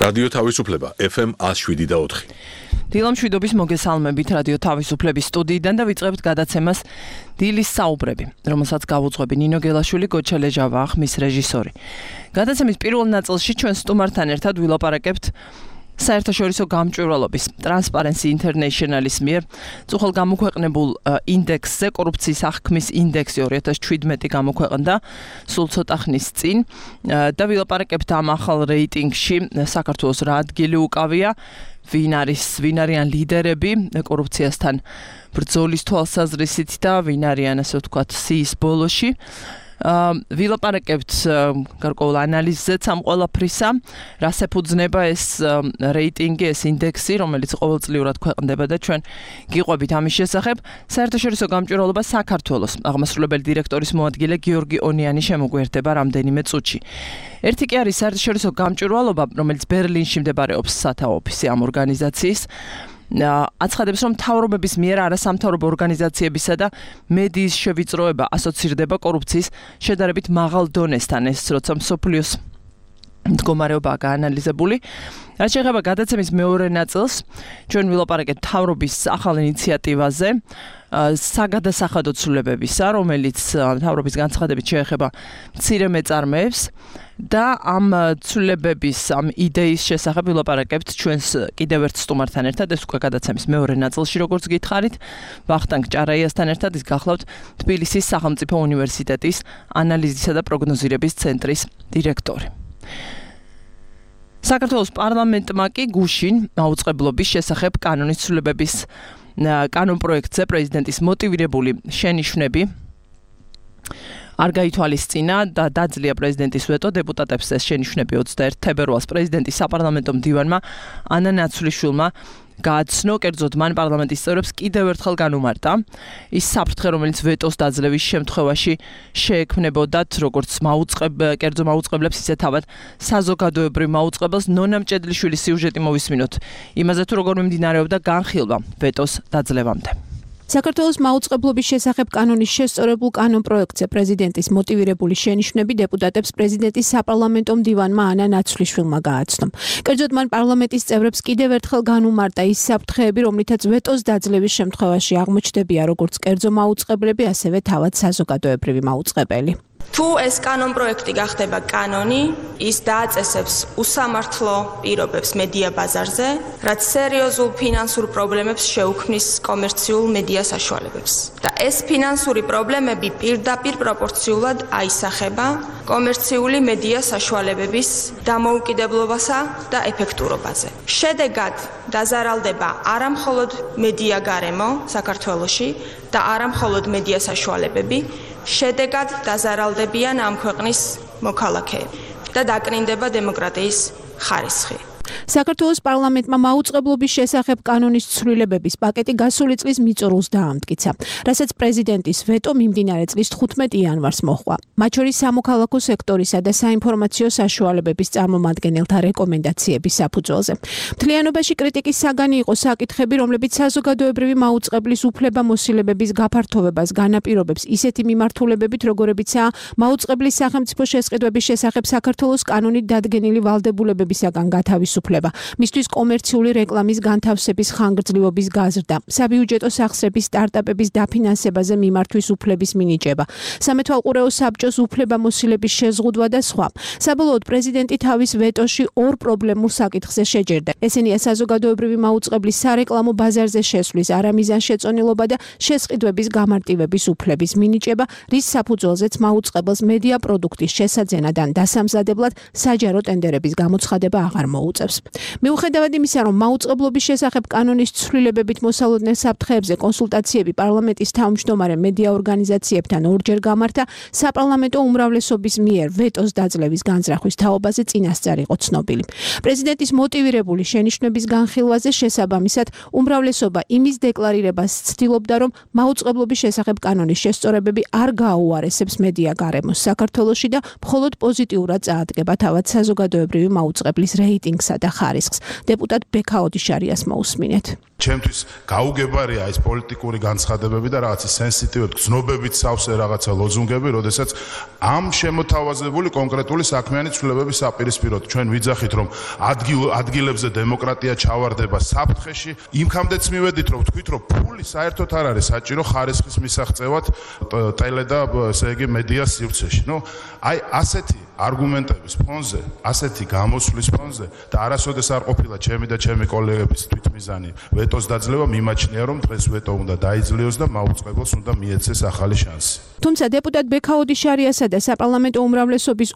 რადიო თავისუფლება FM 107.4. დილამ შვიდობის მოგესალმებით რადიო თავისუფლების სტუდიიდან და ვიწყებთ გადაცემას დილის საუბრები, რომელსაც გავუძღვები ნინო გელაშვილი, გოჩა ლეჟავა, ხმის რეჟისორი. გადაცემის პირველ ნაწილში ჩვენ სტუმართან ერთად ვილაპარაკებთ საერთაშორისო გამჭვირვალობის Transparency International-ის მიერ წუხელ გამოქვეყნებულ ინდექსზე, კორუფციის აღქმის ინდექსი 2017 გამოქვეყნდა სულ ცოტა ხნის წინ და ვილაპარაკებთ ამ ახალ რეიტინგში საქართველოს რა ადგილი უკავია, ვინ არიან ლიდერები კორუფციასთან ბრძოლის თვალსაზრისით და ვინ არიან ასე ვთქვათ სიის ბოლოში. ვილაპარაკებთ გარკვეულ ანალიზზეც ამ ყველაფრისა, რას ეფუძნება ეს რეიტინგი, ეს ინდექსი, რომელიც ყოველწლიურად ქვეყნდება და ჩვენ გიყვებით ამის შესახებ. საერთაშორისო გამჭვირვალობა საქართველოს აღმასრულებელი დირექტორის მოადგილე გიორგი ონიანი შემოგვიერთდება რამდენიმე წუთში. ერთი კი არის საერთაშორისო გამჭვირვალობა, რომელიც ბერლინში მდებარეობს სათავო ოფისი ამ ორგანიზაციის. აცხადებს, რომ მთავრობების მიერ არასამთავრობო ორგანიზაციებისა და მედიის შევიწროება ასოცირდება კორუფციის შედარებით მაღალ დონესთან, ეს როცა მსოფლიოს მდგომარეობაა გაანალიზებული. რაც შეეხება გადაცემის მეორე ნაწილს, ჩვენ ვილაპარაკებთ მთავრობის ახალ ინიციატივაზე, საგადასახადო ცვლილებებისა, რომელიც მთავრობის განცხადებით შეეხება მცირე მეწარმეებს და ამ ცვლილებების, ამ იდეის შესახებ ვილაპარაკებთ ჩვენს კიდევ ერთ სტუმართან ერთად, ეს უკვე გადაცემის მეორე ნაწილში, როგორც გითხარით, ვახტანგ ჭარაიასთან ერთად, ის გახლავთ თბილისის სახელმწიფო უნივერსიტეტის ანალიზისა და პროგნოზირების ცენტრის დირექტორი. საქართველოს პარლამენტმა კი გუშინ მაუწყებლობის შესახებ კანონის ცვლილებების კანონპროექტზე პრეზიდენტის მოტივირებული შენიშვნები არ გაითვალისწინა და დაძლია პრეზიდენტის ვეტო. დეპუტატებს ეს შენიშვნები 21 თებერვალს პრეზიდენტის საპარლამენტო მდივანმა ანა ნაცვლიშვილმა გააცნო, კერძოდ მან პარლამენტის წევრებს კიდევ ერთხელ განუმარტა ის საფრთხე, რომელიც ვეტოს დაძლევის შემთხვევაში შეექმნებოდათ როგორც კერძო მაუწყებლებს, ისე თავად საზოგადოებრივ მაუწყებელს. ნონა მჭედლიშვილის სიუჟეტი მოვისმინოთ იმაზე, თუ როგორ მიმდინარეობდა განხილვა ვეტოს დაძლევამდე. საქართველოს მაუწყებლობის შესახებ კანონის შესწორებულ კანონპროექტზე პრეზიდენტის მოტივირებული შენიშვნები დეპუტატებს პრეზიდენტის საპარლამენტო მდივანმა ანა ნაცვლიშვილმა გააცნო. კერძოდ მან პარლამენტის წევრებს კიდევ ერთხელ განუმარტა ის საფრთხეები, რომლითაც ვეტოს დაძლევის შემთხვევაში აღმოჩნდებიან როგორც კერძო მაუწყებლები, ასევე თავად საზოგადოებრივი მაუწყებელი. თუ ეს კანონპროექტი გახდება კანონი, ის დააწესებს უსამართლო პირობებს მედია ბაზარზე, რაც სერიოზულ ფინანსურ პრობლემებს შეუქმნის კომერციულ მედია საშუალებებს. და ეს ფინანსური პრობლემები პირდაპირ პროპორციულად აისახება კომერციული მედია საშუალებების დამოუკიდებლობასა და ეფექტურობაზე. შედეგად დაზარალდება არა მხოლოდ მედია გარემო საქართველოში და არა მხოლოდ მედია საშუალებები, შედეგად დაზარალდებიან ამ ქვეყნის მოქალაქეები და დაკნინდება დემოკრატიის ხარისხი. საქართველოს პარლამენტმა მაუწყებლობის შესახებ კანონის ცვლილებების პაკეტი გასული წლის მიწურულს დაამტკიცა, რასაც პრეზიდენტის ვეტო მიმდინარე წლის 15 იანვარს მოჰყვა. მათ შორის სამოქალაქო სექტორისა და საინფორმაციო საშუალებების წარმომადგენელთა რეკომენდაციების საფუძველზე. მთლიანობაში კრიტიკის საგანი იყო საკითხები, რომლებიც საზოგადოებრივი მაუწყებლის უფლებამოსილებების გაფართოვებას განაპირობებს ისეთი მიმართულებებით, როგორებიცაა მაუწყებლის სახელმწიფო შესყიდვების შესახებ საქართველოს კანონით დადგენილი ვალდებულებებისაგან გათავისუფლება, მისთვის კომერციული რეკლამის განთავსების ხანგრძლივობის გაზრდა, საბიუჯეტო სახსრების სტარტაპების დაფინანსებაზე მიმართვის უფლების მინიჭება, სამეთვალყურეო საბჭოს უფლებამოსილების შეზღუდვა და სხვა. საბოლოოდ პრეზიდენტი თავის ვეტოში ორ პრობლემურ საკითხზე შეჯერდა. ესენია საზოგადოებრივი მაუწყებლის სარეკლამო ბაზარზე შესვლის არამიზანშეწონილობა და შესყიდვების გამარტივების უფლების მინიჭება, რის საფუძველზეც მაუწყებელს მედია პროდუქტის შესაძენად ან დასამზადებლად საჯარო ტენდერების გამოცხადება აღარ მოუწევს. მიუხედავად იმისა, რომ მაუწყებლობის შესახებ კანონის ცვლილებებით მოსალოდნელ საფრთხეებზე კონსულტაციები პარლამენტის თავმჯდომარე მედია ორგანიზაციებთან ორჯერ გამართა, საპარლამენტო უმრავლესობის მიერ ვეტოს დაძლევის განზრახვის თაობაზე წინასწარ იყო ცნობილი. პრეზიდენტის მოტივირებული შენიშვნების განხილვაზე შესაბამისად უმრავლესობა იმის დეკლარირებას ცდილობდა, რომ მაუწყებლობის შესახებ კანონის შესწორებები არ გააუარესებს მედია გარემოს საქართველოში და მხოლოდ პოზიტიურად წაადგება თავად საზოგადოებრივი მაუწყებლის რეიტინგსა და ხარისხს. დეპუტატ ბექა ოდიშარიას მოусმინეთ. ჩემთვის გაუგებარია ეს პოლიტიკური განცხადებები და რაღაც სენსიტივური გზნობებით სავსე რაღაცა ლოზუნგები, როდესაც ამ შემოთავაზებული კონკრეტული საქმიანი ცვლილებების საპირისპიროდ ჩვენ ვიძახით, რომ ადგილებზე დემოკრატია ჩავარდება საფრთხეში, იმქამდეც მივედით, რომ ვთქვით, რომ ფული საერთოდ არ არის საჭირო ხარისხის მისაღწევად ტელე და ესე იგი მედიას სივრცეში. აი ასეთი არგუმენტების ფონზე, ასეთი გამოსვლის ფონზე და არასოდეს არ ყოფილა ჩემი და ჩემი კოლეგების თვითმიზანი ვეტოს დაძლევა, მიმაჩნია, რომ დღეს ვეტო უნდა დაიძლიოს და მაუწყებელს უნდა მიეცეს ახალი შანსი. თუმცა დეპუტატ ბექაუდი შარიასა და საპარლამენტო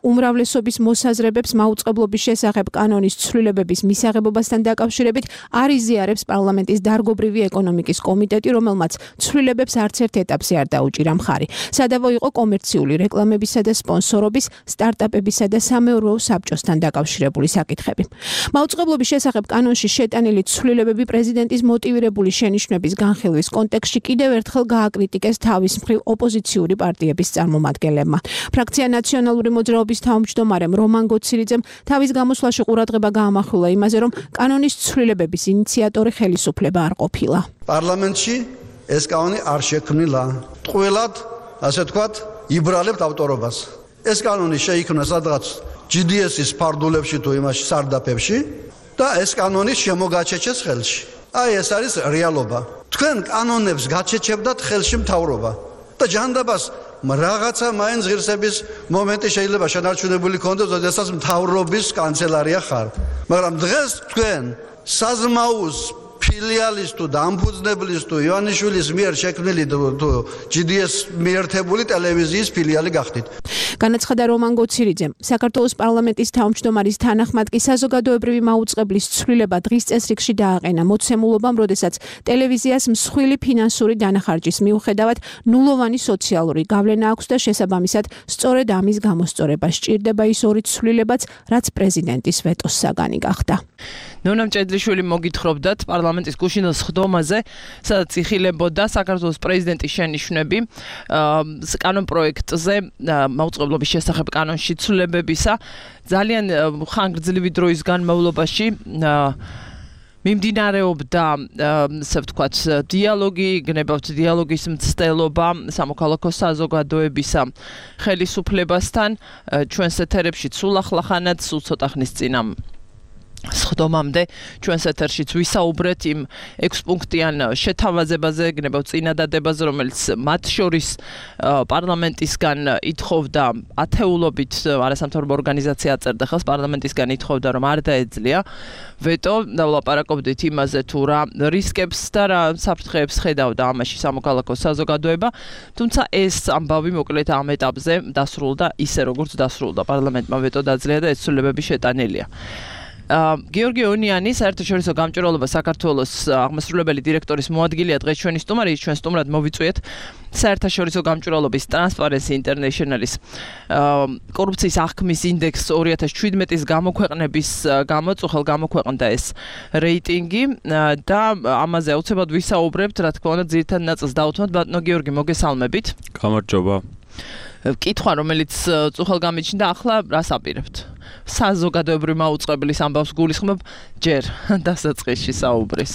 უმრავლესობის მოსაზრებებს მაუწყებლობის შესახებ კანონის ცვლილებების მისაღებობასთან დაკავშირებით არ იზიარებს პარლამენტის დარგობრივი ეკონომიკის კომიტეტი, რომელმაც ცვლილებებს არც ერთ ეტაპზე არ დაუჭირა მხარი. სადავო იყო კომერციული რეკლამებისა და სპონსორობის, სტარტაპებისა და სამეურვეო საბჭოსთან დაკავშირებული საკითხები. მაუწყებლობის შესახებ კანონში შეტანილი ცვლილებები პრეზიდენტის მოტივირებული შენიშვნების განხილვის კონტექსტში კიდევ ერთხელ გააკრიტიკეს თავის მხრივ ოპოზიციური პარტიების წარმომადგენლებმა. ფრაქცია ნაციონალური მოძრაობის თავმჯდომარემ რომან გოცირიძემ თავის გამოსვლაში ყურადღება გაამახვილა იმაზე, რომ კანონის ცვლილებების ინიციატორი ხელისუფლება არ ყოფილა. პარლამენტში ეს კანონი არ შექმნილა. ტყუილად, ასე ვთქვათ, იბრალებთ ავტორობას. ეს კანონი შეიქმნა სადღაც GDS-ის ფარდულებში თუ იმაში სარდაფებში და ეს კანონი შემოგაჩეჩეს ხელში. აი ეს არის რეალობა. თქვენ კანონებს გაჩეჩებდათ ხელში მთავრობა და ჯანდაბას რაღაცა მაინც ღირსების მომენტი შეიძლება შენარჩუნებული ქონდეს, როდესაც მთავრობის კანცელარია ხარ. მაგრამ დღეს თქვენ საზმაუს ფილიალის თუ დამფუძნებლის თუ ივანიშვილის მიერ შექმნილი თუ GDS მიერთებული ტელევიზიის ფილიალი გახდით. განაცხადა რომან გოცირიძემ. საქართველოს პარლამენტის თავმჯდომარის თანახმად კი საზოგადოებრივი მაუწყებლის ცვლილება დღის წესრიგში დააყენა მოცემულობამ, როდესაც ტელევიზიას მსხვილი ფინანსური დანახარჯის მიუხედავად ნულოვანი სოციალური გავლენა აქვს და შესაბამისად სწორედ ამის გამოსწორება სჭირდება ის ორი ცვლილებაც, რაც პრეზიდენტის ვეტოს საგანი გახდა. ნონა მჭედლიშვილი მოგითხრობდათ პარლამენტის გუშინდელ სხდომაზე, სადაც იხილებოდა საქართველოს პრეზიდენტის შენიშვნები კანონ პროექტზე მაუწყებლობის შესახებ კანონში ცვლილებებისა. ძალიან ხანგრძლივი დროის განმავლობაში მიმდინარეობდა, ასე ვთქვათ, დიალოგი, გნებავთ დიალოგის მცდელობა სამოქალაქო საზოგადოებისა ხელისუფლებასთან, ჩვენს ეთერებში სულ ახლახანად, სულ ცოტა ხნის წინ სხდომამდე ჩვენს ეთერშიც ვისაუბრეთ იმ 6 პუნქტიან შეთავაზებაზე, გნებავთ წინადადებაზე, რომელიც მათ შორის პარლამენტისგან ითხოვდა ათეულობით არასამთავრობო ორგანიზაცია აწერდა ხელს, პარლამენტისგან ითხოვდა, რომ არ დაეძლია ვეტო და ვლაპარაკობდით იმაზე, თუ რა რისკებს და რა საფრთხეებს ხედავდა ამაში სამოქალაქო საზოგადოება, თუმცა ეს ამბავი მოკლედ ამ ეტაპზე დასრულდა ისე, როგორც დასრულდა. პარლამენტმა ვეტო დაძლია და ეს ცვლილებები შეტანილია. გიორგი ონიანი, საერთაშორისო გამჭვირვალობა საქართველოს აღმასრულებელი დირექტორის მოადგილეა დღეს ჩვენი სტუმარი, ჩვენ სტუმრად მოვიწვიეთ საერთაშორისო გამჭვირვალობის Transparency International-ის კორუფციის აღქმის ინდექს 2017-ის გამოქვეყნების გამოწუხელ გამოქვეყნდა ეს რეიტინგი და ამაზე აუცილებლად ვისაუბრებთ, რა თქმა უნდა, ძირითად ნაწილს დავუთმოთ. ბატონო გიორგი, მოგესალმებით. გამარჯობა. კითხვა, რომელიც წუხელ გამიჩნდა, ახლა რას აპირებთ? საზოგადოებრივი მაუწყებლის ამბავს გულისხმობ ჯერ დასაწყისში საუბრის.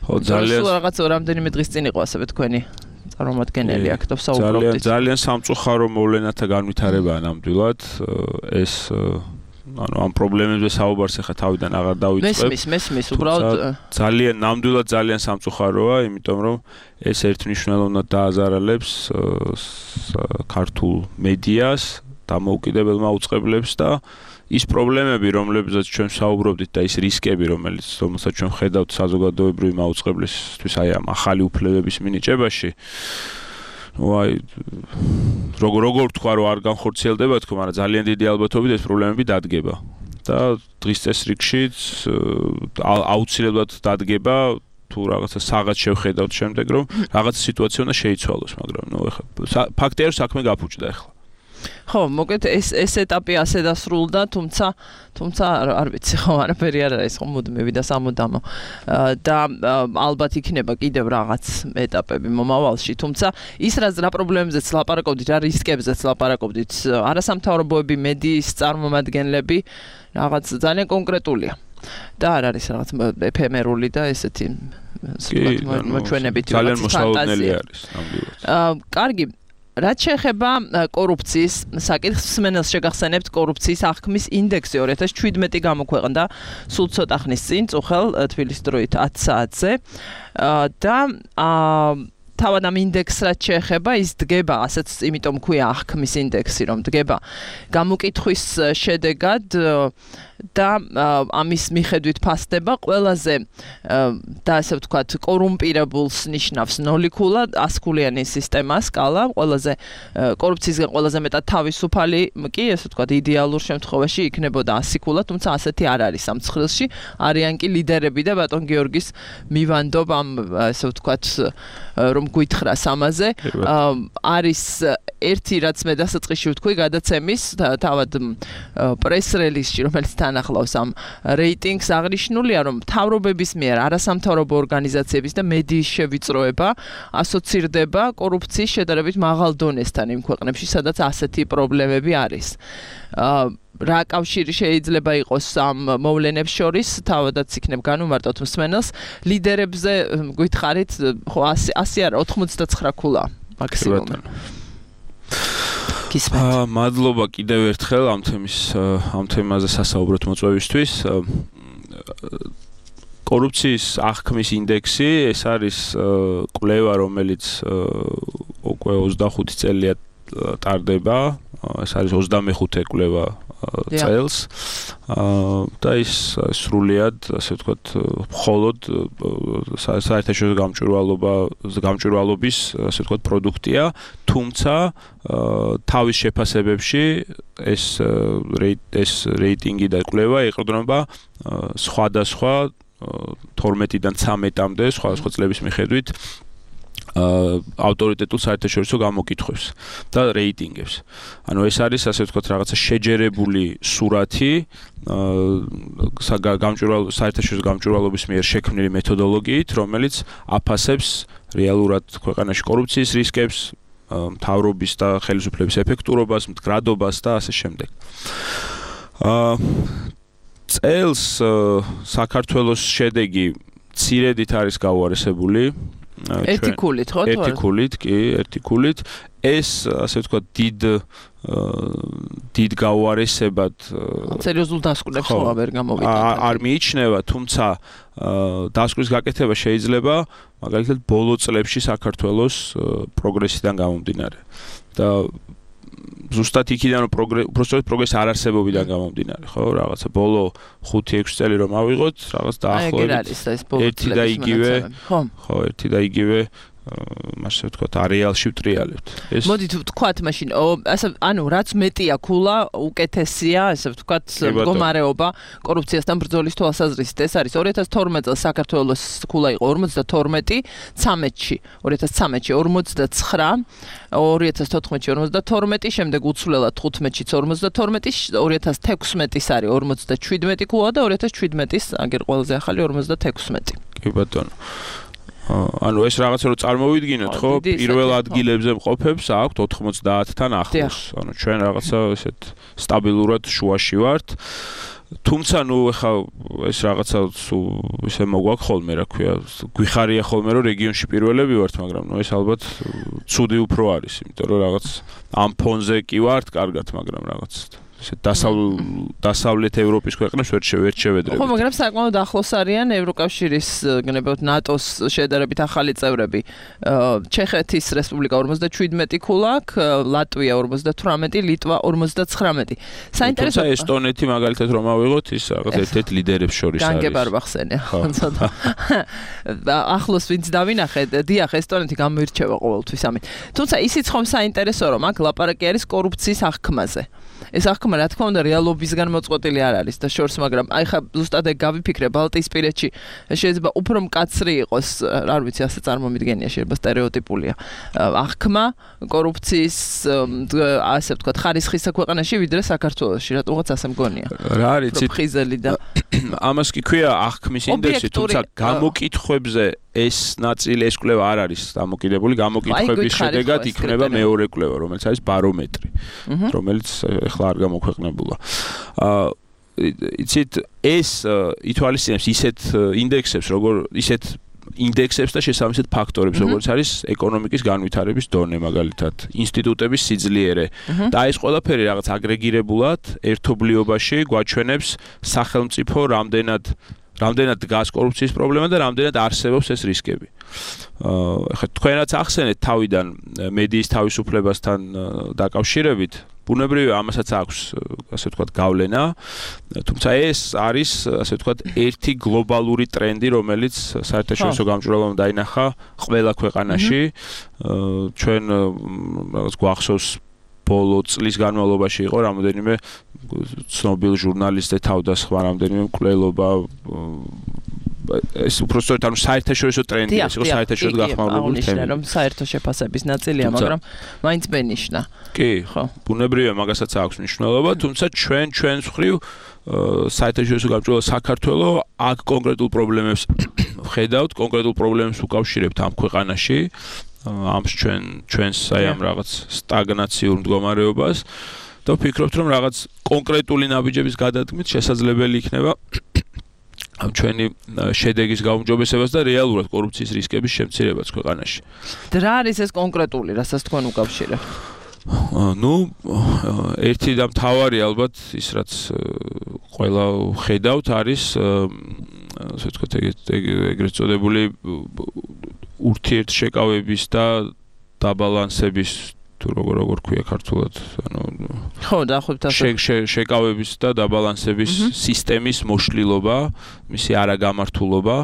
ხო, ძალიან რაღაც რამდენიმე დღის წინ იყო ასევე თქვენი წარმომადგენელი აქ და საუბრობდით. ძალიან სამწუხარო მოვლენათა განვითარებაა ნამდვილად. ეს ამ პრობლემებზე საუბარს ახლა თავიდან აღარ დავიწყებ. მესმის, უბრალოდ ძალიან ნამდვილად ძალიან სამწუხაროა, იმიტომ რომ ეს ერთმნიშვნელოვნად დააზარალებს ქართულ მედიას, დამოუკიდებელ მაუწყებლებს და ის პრობლემები, რომლებზეც ჩვენ საუბრობდით და ის რისკები, რომელსაც ჩვენ ხედავთ საზოგადოებრივი მაუწყებლისთვის აი ამ ახალი უფლებების მინიჭებაში, როგორ თქვა, რომ არ განხორციელდება თქო, მაგრამ ძალიან დიდი ალბათობით ეს პრობლემები დადგება და დღის წესრიგში აუცილებლად დადგება თუ რაღაცა საღაც შევხედავთ შემდეგ, რომ რაღაცა სიტუაცია უნდა შეიცვალოს, მაგრამ ეხლა ფაქტია, რომ საქმე გაფუჭდა ეხლა. ხო, მოკლედ ეს ეტაპი ასე დასრულდა, თუმცა არ ვიცი, ხო, არაფერი არ არის, ხო, მუდმივი და სამუდამო. და ალბათ იქნება კიდევ რაღაც ეტაპები მომავალში, თუმცა ის რა პრობლემებზეც ლაპარაკობდით, რა რისკებზეც ლაპარაკობდით, არასამთავრობოები, მედიის წარმომადგენლები, რაღაც ძალიან კონკრეტულია. და არ არის რაღაც ეფემერული და ესეთი მოჩვენებითი ძალიან მოსაოდნელი არის ნამდვილად. კარგი, რაც შეეხება კორუფციის საკითხს, მსმენელს შეგახსენებთ კორუფციის აღქმის ინდექსი 2017 გამოქვეყნდა სულ ცოტა ხნის წინ, წუხელ თბილისის დროით 10 საათზე და თავად ამ ინდექსს რაც შეეხება, ის დგება, ასეც იმიტომ ქვია აღქმის ინდექსი, რომ დგება გამოკითხვის შედეგად და ამის მიხედვით ფასდება ყველაზე და ასე ვთქვათ კორუმპირებულს ნიშნავს 0 ქულა 100 ქულიანი სისტემა სკალა ყველაზე კორუფციისგან ყველაზე მეტად თავისუფალი კი ასე ვთქვათ იდეალურ შემთხვევაში იქნებოდა 100 ქულა თუმცა ასეთი არ არის ამ ცხრილში არიან კი ლიდერები და ბატონ გიორგის მივანდობ ამ ასე ვთქვათ რომ გითხრას ამაზე არის ერთი რაც მე დასაწყისში ვთქვი გადაცემის თავად პრეს რელიზში რომელიც ახლავს ამ რეიტინგს აღნიშნულია რომ მთავრობების მიერ არასამთავრობო ორგანიზაციების და მედიის შევიწროება ასოცირდება კორუფციის შედარებით მაღალ დონესთან იმ ქვეყნებში სადაც ასეთი პრობლემები არის რა კავშირი შეიძლება იყოს ამ მოვლენებს შორის თავადაც იქნებ განუმარტოთ მსმენელს ლიდერებზე გითხარით ხო 100 არა 99 ქულა მაქსიმუმ მადლობა კიდევ ერთხელ ამ თემაზე სასაუბროთ მოწვევისთვის. კორუფციის აღქმის ინდექსი ეს არის კვლევა, რომელიც უკვე 25 წელია ტარდება. ეს არის 25 კვლევა წელს. და ის სრულიად, ასე ვთქვათ, მხოლოდ საერთაშორისო გამჭვირვალობის, ასე ვთქვათ, პროდუქტია, თუმცა თავის შეფასებებში ეს რეიტინგი და კვლევა ეყრდნობა სხვადასხვა 12-დან 13-მდე სხვადასხვა წლების მიხედვით ავტორიტეტულ საერთაშორისო გამოკითხვებს და რეიტინგებს. ანუ ეს არის ასე ვთქვათ რაღაცა შეჯერებული სურათი საერთაშორისო გამჭვირვალობის მიერ შექმნილი მეთოდოლოგიით, რომელიც აფასებს რეალურად ქვეყანაში კორუფციის რისკებს, მთავრობის და ხელისუფლების ეფექტურობას, მდგრადობას და ასე შემდეგ. წელს საქართველოს შედეგი მცირედით არის გაუარესებული. ერთი ქულით ხო? ერთი ქულით, კი, ერთი ქულით. ეს ასე ვთქვათ დიდ გაუარესებად სერიოზულ დასკვნებს ხო ვერ გამოვიდა. არ მიიჩნევა, თუმცა დასკვნის გაკეთება შეიძლება მაგალითად ბოლო წლებში საქართველოს პროგრესიდან გამომდინარე. და ზუსტად იქიდან რომ პროგრესი არ არსებობიდან გამომდინარე, ხო, რაღაცა ბოლო 5-6 წელი რომ ავიღოთ, რაღაც დაახლოებით ერთი და იგივე, ხო, ერთი და იგივე მასე ვთქვათ, არეალში ვტრიალებთ. მოდით ვთქვათ მაშინ, ანუ რაც მეტია ქულა, უკეთესია, ასე ვთქვათ, მდგომარეობა კორუფციასთან ბრძოლის თვალსაზრისით. ეს არის 2012 წელს საქართველოს ქულა იყო 52, 13-ში 2013-ში 49, 2014-ში 52, შემდეგ უცვლელად 15-ში 52, 2016-ის არის 57 ქულა და 2017-ის აგერ ყველაზე ახალი 56. კი ბატონო. ანუ ეს რაღაცა რომ წარმოვიდგინოთ, ხო, პირველ ადგილებზე მყოფებს აქვთ 90-თან ახლოს. ანუ ჩვენ რაღაცა ესეთ სტაბილურად შუაში ვართ. თუმცა ნუ ეხა ეს რაღაცა ისე მოგვაქვს ხოლმე, რა ქვია, გვიხარია ხოლმე რომ რეგიონში პირველები ვართ, მაგრამ ნუ ეს ალბათ ცუდი უფრო არის, იმიტომ რომ რაღაც ამ ფონზე კი ვართ, კარგად, მაგრამ რაღაც დასავლეთ ევროპის ქვეყნებს ვერ შევედრებით. ხო, მაგრამ საკმაოდ ახლოს არიან ევროკავშირის, გნებავთ ნატოს შედარებით ახალი წევრები. ჩეხეთის რესპუბლიკა 47 ქულა აქვს, ლატვია 58, ლიტვა 59. საინტერესოა ესტონეთი მაგალითად რომ ავიღოთ, ის რაღაც ერთ-ერთ ლიდერებს შორის არის. განგებარ ვახსენე. ახლოს ვინც დავინახეთ, დიახ, ესტონეთი გამოირჩევა ყოველთვის ამით. თუმცა ისიც ხომ საინტერესო რომ აქ ლაპარაკი არის კორუფციის აღქმაზე. ეს აღქმა რა თქმა უნდა რეალობისგან მოწყვეტილი არ არის და შორს, მაგრამ აი ხა ზუსტად ეგ გავიფიქრე ბალტიისპირეთში შეიძლება უფრო მკაცრი იყოს, არ ვიცი, ასე წარმომიდგენია, შეიძლება სტერეოტიპულია. აღქმა კორუფციის ასე ვთქვათ ხარისხისა ქვეყანაში ვიდრე საქართველოში, რატომღაც ასე მგონია. რა არის იცით? ხიზელი და ამას კი ქვია აღქმის ინდექსი, თუმცა გამოკითხვებზე ეს ნაწილი ეს კვლევა არ არის დამოკიდებული, გამოკითხვების შედეგად იქნება მეორე კვლევა, რომელიც არის ბარომეტრი, რომელიც ახლა არ გამოქვეყნებულა. იცით ეს ითვალისწინებს ისეთ ინდექსებს, ისეთ ინდექსებს და შესაბამისად ფაქტორებს, როგორც არის ეკონომიკის განვითარების დონე, მაგალითად, ინსტიტუტების სიძლიერე. და ეს ყველაფერი რაღაც აგრეგირებულად ერთობლიობაში გვაჩვენებს სახელმწიფო რამდენად დგას კორუფციის პრობლემა და რამდენად არსებობს ეს რისკები. ახლა თქვენაც ახსენეთ თავიდან მედიის თავისუფლებასთან დაკავშირებით, ბუნებრივია ამასაც აქვს, ასე ვთქვათ, გავლენა, თუმცა ეს არის, ასე ვთქვათ, ერთი გლობალური ტრენდი, რომელიც საერთაშორისო გამჭვირვალობამ დაინახა ყველა ქვეყანაში. ჩვენ რაღაც გვახსოვს ბოლო წლის განმავლობაში იყო რამოდენიმე ცნობილ ჟურნალისტთა თავდასხმა, რამდენიმე მკვლელობა, ეს უბრალოდ ანუ საერთაშორისო ტრენდი ეს იყო საერთაშორისო გახმაურებული თემი. რომ საერთო შეფასების ნაწილია, მაგრამ მაინც მენიშნა. კი, ხო. ბუნებრივია, მაგასაც აქვს მნიშვნელობა, თუმცა ჩვენს მხრივ საერთაშორისო გამჭვირვალობა საქართველოს აქ კონკრეტულ პრობლემებს ვხედავთ, კონკრეტულ პრობლემებს უკავშირებთ ამ ქვეყანაში, ამ ჩვენს აი ამ რაღაც სტაგნაციურ მდგომარეობას და ვფიქრობთ, რომ რაღაც კონკრეტული ნაბიჯების გადადგმით შესაძლებელი იქნება ამ ჩვენი შედეგის გაუმჯობესებას და რეალურად კორუფციის რისკების შემცირებაც ქვეყანაში. რა არის ეს კონკრეტული, რასაც თქვენ უკავშირებთ? ნუ ერთი და მთავარი ალბათ ის რაც ყველა ხედავთ არის ასე ვთქვათ ეგრეთ წოდებული ურთიერთშეკავების და დაბალანსების თუ როგორ ქვია ქართულად, ანუ ხო, დაახლოებით ასე. შეკავების და დაბალანსების სისტემის მოშლილობა, მისი არაგამართულობა,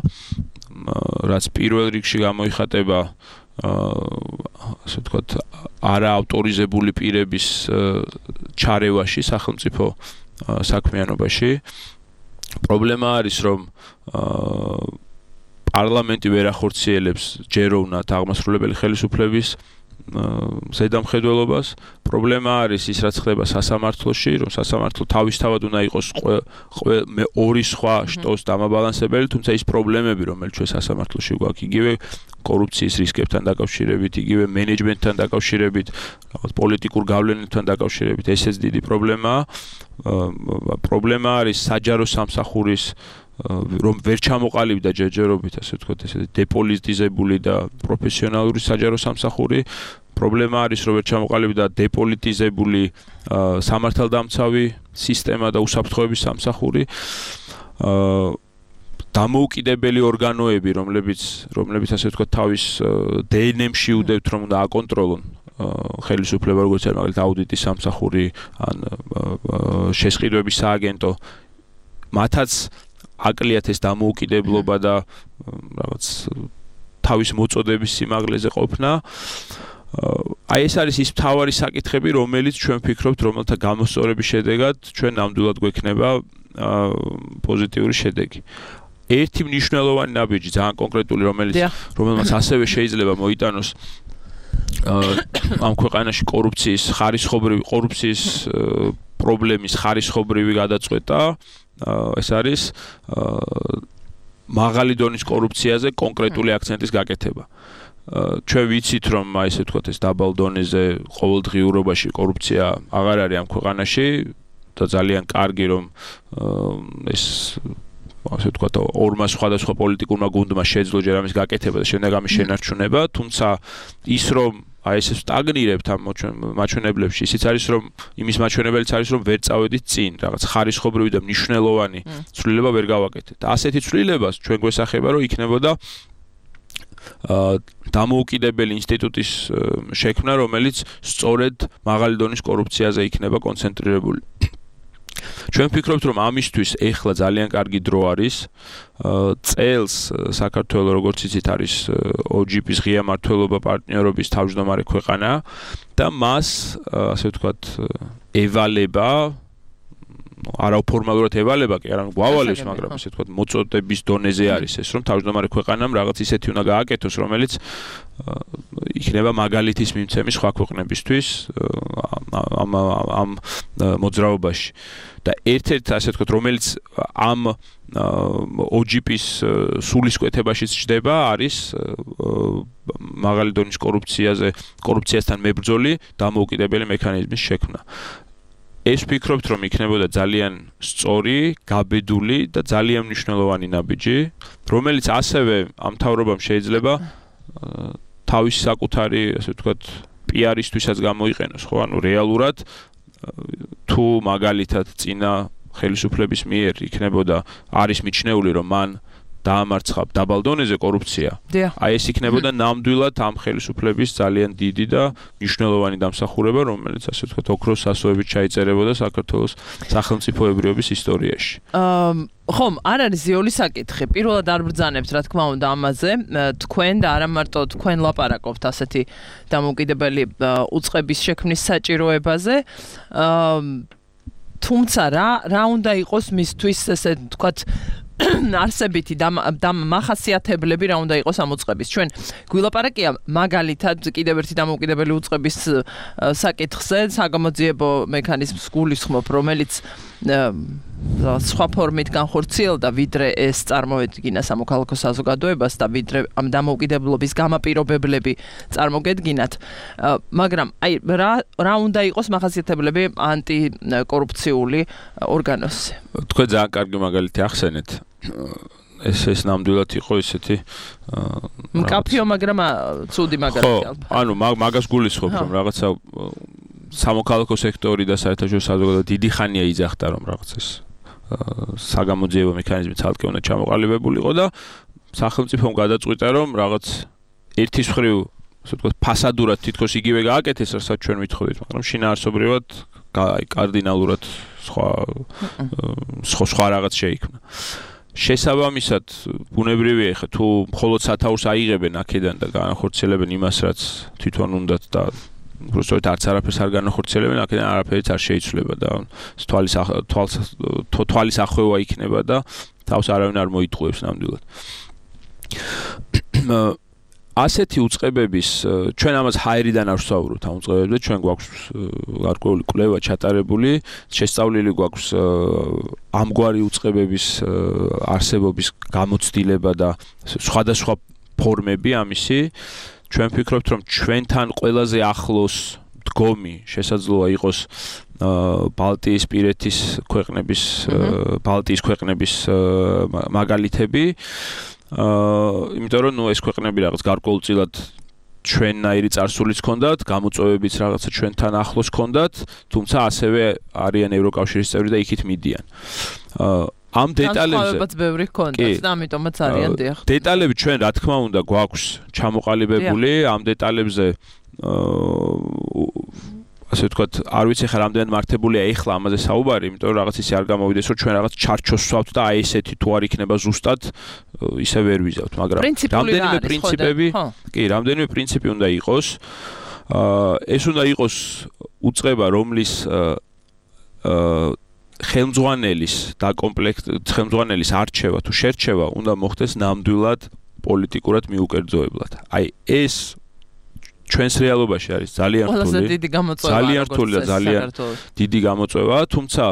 რაც პირველ რიგში გამოიხატება ასე ვთქვათ, არაავტორიზებული პირების ჩარევაში სახელმწიფო საქმიანობაში. პრობლემა არის, რომ პარლამენტი ვერ ახორციელებს ჯეროვნად აღმასრულებელი ხელისუფლების ზედამხედველობას. პრობლემა არის ის, რაც ხდება სასამართლოში, რომ სასამართლო თავისთავად უნდა იყოს ორი სხვა შტოს დამაბალანსებელი, თუმცა ის პრობლემები, რომელიც ჩვენ სასამართლოში გვაქვს, იგივე კორუფციის რისკებთან დაკავშირებით, იგივე მენეჯმენტთან დაკავშირებით, რაღაც პოლიტიკურ გავლენებთან დაკავშირებით, ესეც დიდი პრობლემაა. პრობლემა არის საჯარო სამსახურის რომ ვერ ჩამოყალიბდა ჯერჯერობით, ასე ვთქვათ, ესეთი დეპოლიტიზებული და პროფესიონალური საჯარო სამსახური. პრობლემა არის, რომ ვერ ჩამოყალიბდა დეპოლიტიზებული სამართალდამცავი სისტემა და უსაფრთხოების სამსახური. დამოუკიდებელი ორგანოები, რომლებიც ასე ვთქვათ, თავის დნმ-ში უდევთ, რომ უნდა აკონტროლონ ხელისუფლება, როგორც არის მაგალითად აუდიტის სამსახური ან შესყიდვების სააგენტო, მათაც აკლიათ ეს დამოუკიდებლობა და რაღაც თავის მოწოდების სიმაღლეზე ყოფნა. აი ეს არის ის მთავარი საკითხები, რომელიც ჩვენ ვფიქრობთ, რომელთა გამოსწორების შედეგად ჩვენ ნამდვილად გვექნება პოზიტიური შედეგი. ერთი მნიშვნელოვანი ნაბიჯი, ძალიან კონკრეტული, რომელმაც ასევე შეიძლება მოიტანოს ამ ქვეყანაში კორუფციის პრობლემის ხარისხობრივი გადაწყვეტა, ეს არის მაღალი დონის კორუფციაზე კონკრეტული აქცენტის გაკეთება. ჩვენ ვიცით, რომ აი ესე ვთქვათ, ეს დაბალ დონეზე ყოველდღიურობაში კორუფცია აღარ არის ამ ქვეყანაში და ძალიან კარგი, რომ ეს ასე ვთქვათ, ორმა სხვადასხვა პოლიტიკურმა გუნდმა შეძლო ჯერ ამის გაკეთება და შემდეგ ამის შენარჩუნება, თუმცა ის რომ აი ესე სტაგნირებთ ამ მაჩვენებლებში, ისიც არის, რომ იმის მაჩვენებელიც არის, რომ ვერ წავედით წინ, რაღაც ხარისხობრივი და მნიშვნელოვანი ცვლილება ვერ გავაკეთეთ. ასეთი ცვლილებას ჩვენ გვესახება, რომ იქნებოდა დამოუკიდებელი ინსტიტუტის შექმნა, რომელიც სწორედ მაღალი დონის კორუფციაზე იქნება კონცენტრირებული. ჩვენ ვფიქრობთ, რომ ამისთვის ეხლა ძალიან კარგი დრო არის. წელს საქართველოს, როგორც იცით, არის OGP-ის ღია მმართველობა პარტნიორობის თავმჯდომარე ქვეყანა და მას, ასე ვთქვათ, ევალება, არაუფორმალურად ევალება, კი არა, გვავალებს, მაგრამ ასე ვთქვათ, მოწოდების დონეზე არის ეს, რომ თავმჯდომარე ქვეყანამ რაღაც ისეთი უნდა გააკეთოს, რომელიც იქნება მაგალითის მიმცემი სხვა ქვეყნებისთვის ამ მოძრაობაში. და ერთ-ერთი ასე ვთქვათ, რომელიც ამ OGP-ის სულისკვეთებაშიც ჩდება, არის მაღალი დონის კორუფციასთან მებრძოლი დამოუკიდებელი მექანიზმის შექმნა. ეს ვფიქრობთ, რომ იქნებოდა ძალიან სწორი, გაბედული და ძალიან მნიშვნელოვანი ნაბიჯი, რომელიც ასევე ამ მთავრობამ შეიძლება თავის საკუთარი, ასე ვთქვათ, PR-ისთვისაც გამოიყენოს, ხო? ანუ რეალურად თუ მაგალითად წინა ხელისუფლების მიერ იქნებოდა არის მიჩნეული, რომ მან დაამარცხა დაბალ დონეზე კორუფცია. აი ეს იქნებოდა ნამდვილად ამ ხელისუფლების ძალიან დიდი და მნიშვნელოვანი დამსახურება, რომელიც ასე ვთქვათ, ოქროს სასოებით ჩაიწერებოდა საქართველოს სახელმწიფოებრიობის ისტორიაში. ხომ, არ არის ზიული საკითხი. პირველად არ ბრძანებთ, რა თქმა უნდა, ამაზე. თქვენ და არა მარტო თქვენ ლაპარაკობთ ასეთი დამოუკიდებელი უწყების შექმნის საჭიროებაზე. თუმცა რა უნდა იყოს მისთვის ესე ვთქვათ არსებითი მახასიათებლები რა უნდა იყოს ამ უწყების. ჩვენ გვილაპარაკია მაგალითად კიდევ ერთი დამოუკიდებელი უწყების საკითხზე, საგამოძიებო მექანიზმს გულისხმობ, რომელიც სხვა ფორმით განხორციელდა, ვიდრე ეს წარმოვედგინა სამოქალაქო საზოგადოებას და ვიდრე ამ დამოუკიდებლობის გამაპირობებლები წარმოგედგინათ. მაგრამ აი რა უნდა იყოს მახასიათებლები ანტიკორუფციული ორგანოსზე? თქვენ ძალიან კარგი მაგალითი ახსენეთ. ეს ნამდვილად იყო ისეთი მკაფიო, მაგრამ ცუდი მაგალითი. ანუ მაგას გულისხმობ, რომ რაღაცა სამოქალაქო სექტორი და საერთაშორისო საზოგადოება დიდი ხანია იძახდა, რომ რაღაც ეს საგამოძიებო მექანიზმი ცალკე უნდა ჩამოყალიბებულიყო და სახელმწიფომ გადაწყვიტა, რომ რაღაც ერთის მხრივ, ასე ვთქვათ, ფასადურად თითქოს იგივე გააკეთეს, რასაც ჩვენ ვითხოვდით, მაგრამ შინაარსობრივად კარდინალურად სხვა რაღაც შეიქმნა. შესაბამისად, ბუნებრივია, ხა თუ მხოლოდ სათაურს აიღებენ აქედან და განახორციელებენ იმას, რაც თვითონ უნდათ და უბრალოდ არც არაფერს არ განახორციელებენ, აქედან არაფერიც არ შეიცვლება და თვალის ახვევა იქნება და თავს არავინ არ მოიტყუებს ნამდვილად. ასეთი უწყებების, ჩვენ ამას ჰაერიდან არ ვსაუბრობთ ამ უწყებებზე, ჩვენ გვაქვს გარკვეული კვლევა ჩატარებული, შესწავლილი გვაქვს ამგვარი უწყებების არსებობის გამოცდილება და სხვადასხვა ფორმები ამისი. ჩვენ ვფიქრობთ, რომ ჩვენთან ყველაზე ახლოს დგომი შესაძლოა იყოს ბალტიისპირეთის ქვეყნების მაგალითები. იმიტომ რომ ეს ქვეყნები რაღაც გარკვეულწილად ჩვენნაირი წარსულიც ჰქონდათ, გამოწვევებიც რაღაცა ჩვენთან ახლოს ჰქონდათ, თუმცა ასევე არიან ევროკავშირის წევრი და იქით მიდიან. ამ დეტალებზე ბევრი ჰქონდათ და ამიტომაც არიან დიახ. დეტალები ჩვენ რა თქმა უნდა გვაქვს ჩამოყალიბებული, ამ დეტალებზე ასე ვთქვათ, არ ვიცი ხა რამდენად მართებულია ეხლა ამაზე საუბარი, იმიტომ რომ რაღაც ისე არ გამოვიდეს, რომ ჩვენ რაღაც ჩარჩოს ვსვავთ და აი ესეთი თუ არ იქნება ზუსტად ისე ვერ ვიზავთ, მაგრამ რამდენიმე პრინციპი უნდა იყოს. ეს უნდა იყოს უწყება, რომლის ხელმძღვანელის არჩევა თუ შერჩევა უნდა მოხდეს ნამდვილად პოლიტიკურად მიუკერძოებლად. აი ეს ჩვენს რეალობაში არის ძალიან რთული და ძალიან დიდი გამოწვევა, თუმცა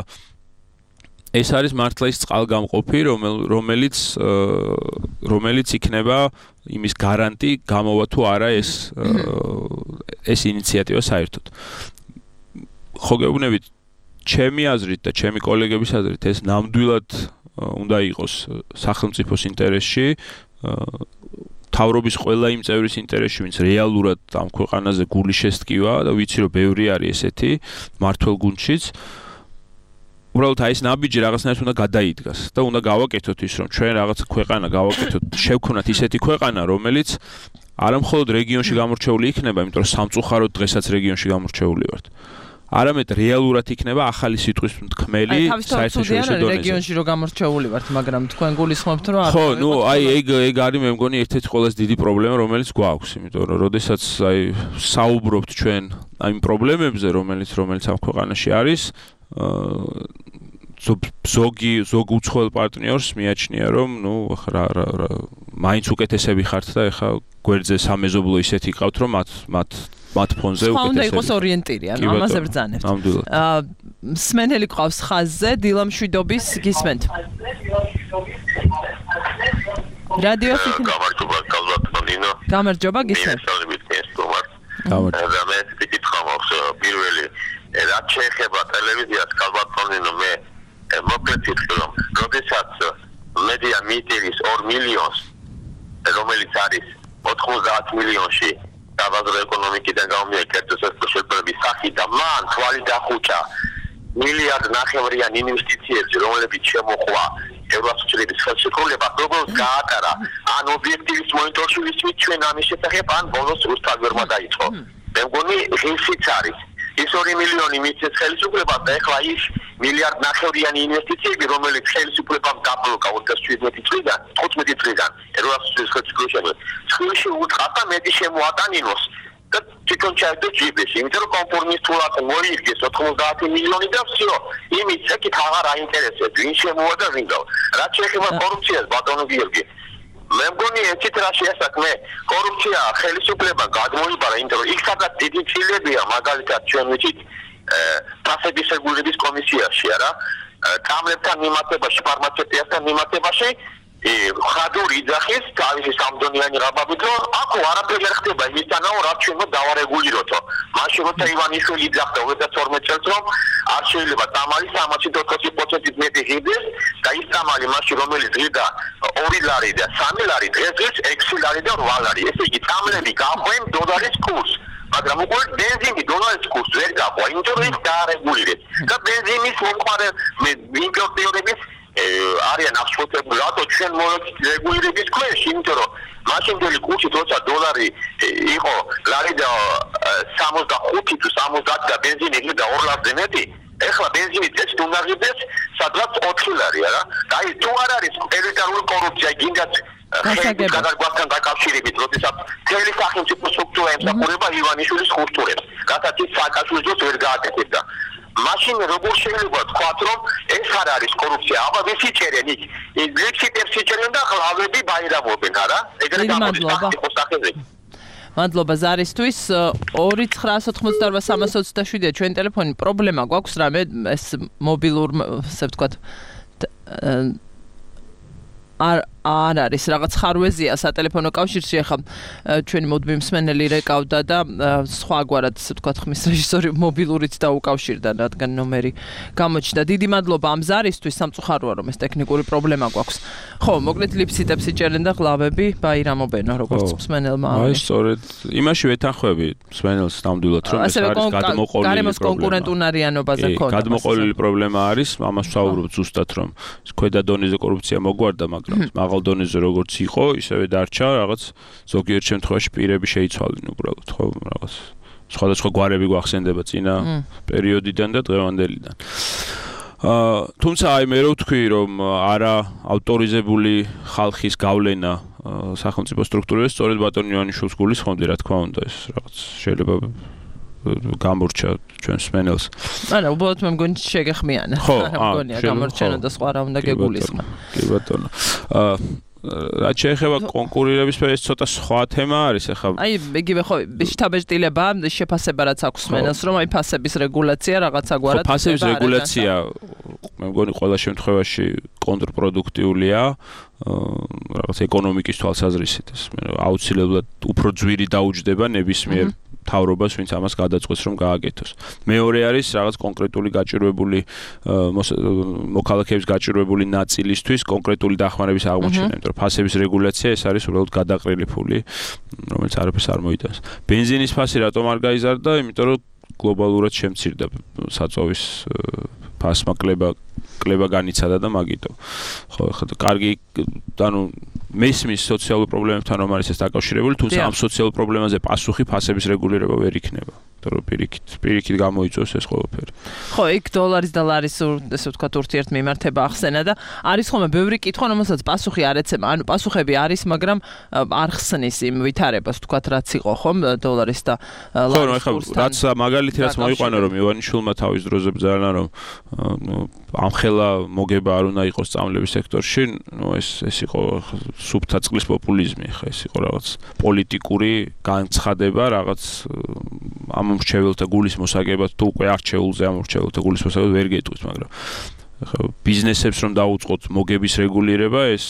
ეს არის მართლა ის წყალგამყოფი, რომელიც იქნება იმის გარანტი, გამოვა თუ არა ეს ინიციატივა საერთოდ. ხო გეუბნებით, ჩემი აზრით და ჩემი კოლეგების აზრით ეს ნამდვილად უნდა იყოს სახელმწიფოს ინტერესში, თავრობის ყველა იმ წევრის ინტერესში, ვინც რეალურად ამ ქვეყანაზე გული შესტკივა და ვიცი რომ ბევრი არის ესეთი მართლ გუნდშიც. უბრალოდ აი ეს ნაბიჯი რაღაცნაირად უნდა გადაიდგას და უნდა გავაკეთოთ ის, რომ ჩვენ რაღაც ქვეყანა გავაკეთოთ, შევქონათ ისეთი ქვეყანა, რომელიც არა მხოლოდ რეგიონში გამორჩეული იქნება, იმიტომ რომ სამწუხაროდ დღესაც რეგიონში გამორჩეული ვართ. არამედ რეალურად იქნება ახალი სიტყვის მთქმელი საერთაშორისო დონეზე. რეგიონში რო გამორჩეული ვართ, მაგრამ თქვენ გულისხმობთ რომ ხო, ნუ აი ეგ არის მე მგონი ერთ-ერთი ყველაზე დიდი პრობლემა, რომელიც გვაქვს, იმიტომ რომ როდესაც აი საუბრობთ ჩვენ ამ პრობლემებზე, რომელიც ამ ქვეყანაში არის, ზოგ უცხოელ პარტნიორს მიაჩნია, რომ ნუ მაინც უკეთესები ხართ და ეხა გვერდზე სამეზობლო ისეთი ყავთ, რომ მათ ფონზე უკეთესები. უნდა იყოს ორიენტირი, ანუ ამაზე ბრძანებთ. მსმენელი ყავს ხაზზე, დილამშვიდობის გისმენთ. რადიოს იქნება. გამარჯობა, გისმენთ. გამარჯობა. და მე ვიკითხავ პირველი რაც შეეხება ტელევიზიას ქალბატონინო მე მოკლედ ვიტყვი, როდესაც მედია მიიტივის 2 მილიონს, რომელიც არის 90 მილიონში საბაზრო ეკონომიკიდან გამომიერთების შესაძლებლობის სახით და მან თვალი დახუჭა მილიარდ ნახევრიან ინვესტიციებს, რომლებიც შემოხვა ევროსოციალისტების ხელშეკრულება, როგორც გაატარა, ან ობიექტივის მონიტორში ვისმით ჩვენ ამის შესახებ, ან ბოლოს რუსთავერმა დაიწყო. მე მგონი ღირსიც არის. ის 2 მილიონი მიწეს ხელისუფლებას და ეხლა ის მილიარდ ნახევრიანი ინვესტიციები, რომელიც ხელისუფლებამ დაბლოკა 2017 წლიდან, 15 წლიდან ევროსოციალისტების ხელშეკრულებაში, ცხრილში უთხარდა მეტი შემოატანინოს. და თვითონ ჩაიდო ჯიბეში, იმიტომ რომ კონფორმისტულად მოიგეს 90 მილიონი და всё. იმის ეკით აღარ აინტერესებს, ვინ შემოვა და ვინ გავა. რაც შეეხება კორუფციას, ბატონო გიორგი. მე მგონი ეცით რა შეასაქმე, კორუფცია ხელისუფლება გადმოიბარა, იმიტომ რომ იქ სადაც დიდი ცილებია, მაგალითად ჩვენ ვიცით, ფასების რეგულირების კომისიაში, არა? კამერებთან მიმართებაში, ფარმაცევტიასთან მიმართებაში ხადური იძახის თავისი სამდონიანი რაბაბით, რომ აქ არაფერი არ ხდება იმისთანავ, რაც ჩვენ დავარეგულიროთო. მაშინ როცა ივანიშვილი იძახდა 2012 წელს, რომ არ შეიძლება წამალი 340%-ით მეტი ღირდეს და ის წამალი მაშინ რომელიც ღირდა 2 ლარი და 3 ლარი დღეს ღირს 6 ლარი და 8 ლარი. ესე იგი წამლები გაყვენ დოლარის კურსს. მაგრამ უკვე ბენზინი დოლარის კურსს ვერ გაყვა, იმიტომ რომ ის დაარეგულირეს. და ბენზინის მომყარე იმპორტიორების არიან აღშფოთებული, რატო ჩვენ მოვექცეთ რეგულირების ქვეშ, იმიტომ რომ მაშინდელი კურსი თორსა დოლარი იყო ლარი და 65 თუ 70 და ბენზინი იყო 2 ლარზე მეტი. ეხლა ბენზინი წესით უნდა ღირდეს სადღაც 4 ლარი, არა? და ის თუ არ არის ელიტარული კორუფცია, გინდათ გადაგვასთან დაკავშირებით, როდესაც მთელი სახელმწიფო სტრუქტურა ემსახურება ივანიშვილის ხურთურებს, რასაც ის სააკაშვილის ვერ გააკეთებდა. მაშინ როგორ შეიძლება თქვათ, რომ ეს არ არის კორუფცია? აბა ვისი ჭერენ იქ? ლექსიტებს იჭერენ და ხლავები ბაირამობენ, არა? ეგრე გამოდის სახელმწიფოს სახეზე. მადლობა ზარისთვის 2988327-ია ჩვენ ტელეფონი. პრობლემა გვაქვს რამე ეს მობილურ, ასე ვთქვათ, არ არის რაღაც ხარვეზია სატელეფონო კავშირში, ახლა ჩვენი მოდმი მსმენელი რეკავდა და სხვაგვარად, ასე ვთქვათ, ხმის რეჟისორი მობილურით დაუკავშირდა, რადგან ნომერი გამოჩნდა. დიდი მადლობა ამ ზარისთვის, სამწუხაროა რომ ეს ტექნიკური პრობლემა გვაქვს. ხო, მოკლედ ლიფციტებს იჭერენ და ღლავები ბაირამობენო, როგორც მსმენელმა. აი, სწორედ იმაში ვეთანხმები მსმენელს ნამდვილად, რომ ეს არის გადმოყოლილი გარემოს კონკურენტუნარიანობაზე ქონდა. გადმოყოლილი პრობლემა არის, ამას ვსაუბრობ ზუსტად, რომ ქვედა დონეზე კორუფცია მოგვარდა, მაგრამ მაღალ დონეზე როგორც იყო, ისევე დარჩა, რაღაც ზოგიერთ შემთხვევაში პირები შეიცვალნენ უბრალოდ, ხო, რაღაც სხვადასხვა გვარები გვახსენდება წინა პერიოდიდან და დღევანდელიდან. თუმცა აი მე რო ვთქვი, რომ არა ავტორიზებული ხალხის გავლენა სახელმწიფო სტრუქტურებში, სწორედ ბატონ ივანიშვილს გულისხმობდი, რა თქმა უნდა, ეს რაღაც შეიძლება გამორჩა ჩვენ მსმენელს. არა, უბრალოდ მე მგონი შეგეხმიანა. რა მგონია გამორჩენა და სხვა რა უნდა გეგულისხმა. კი ბატონო. რაც შეეხება კონკურირების ეს ცოტა სხვა თემა არის ახლა. აი, იგივე ხო, შთაბეჭდილება, შეფასება რაც აქვს მსმენელს, რომ აი ფასების რეგულაცია რაღაცა გვარად. ფასების რეგულაცია მე მგონი ყველა შემთხვევაში კონტრპროდუქტიულია. რაღაც ეკონომიკის თვალსაზრისით ეს აუცილებლად უფრო ძვირი დაუჯდება ნებისმიერ თავრობას, ვინც ამას გადაწყვეტს, რომ გააკეთოს. მეორე არის რაღაც კონკრეტული გაჭირვებული მოქალაქეების გაჭირვებული ნაწილისთვის კონკრეტული დახმარების აღმოჩენა, იმიტომ რომ ფასების რეგულაცია ეს არის უბრალოდ გადაყრილი ფული, რომელიც არაფერს არ მოიტანს. ბენზინის ფასი რატომ არ გაიზარდა? იმიტომ რომ გლობალურად შემცირდა საწოვის ფასმა კლება განიცადა და მაგიტო. ხო, ხა კარგი, ანუ მესმის სოციალურ პრობლემებთან რომ არის ეს დაკავშირებული, თუმცა ამ სოციალურ პრობლემაზე პასუხი ფასების რეგულირება ვერ იქნება. იმიტომ რომ პირიქით გამოიწვევს ეს ყველაფერი. ხო, იქ დოლარის და ლარის ესე ვთქვათ ურთიერთმიმართება ახსენა და არის ხოლმე ბევრი კითხვა, რომელსაც პასუხი არ ეცემა. ანუ პასუხები არის, მაგრამ არ ხსნის იმ ვითარებას, ვთქვათ, რაც იყო ხომ დოლარის და ლარის კურსთან. ხო, რაც მაგალითი რაც მოიყვანა რომ ივანიშვილმა თავის დროზე ბრძანა რომ ამხელა მოგება არ უნდა იყოს წამლების სექტორში, ეს იყო სუფთა წყლის პოპულიზმი, ხა ეს იყო რაღაც პოლიტიკური განცხადება, რაღაც ამ მრჩეველთა გულის მოსაგებად თუ უკვე არჩეულზე ამ მრჩეველთა გულის მოსაგებად ვერ გეტყვის, მაგრამ ბიზნესებს რომ დაუწყოთ მოგების რეგულირება, ეს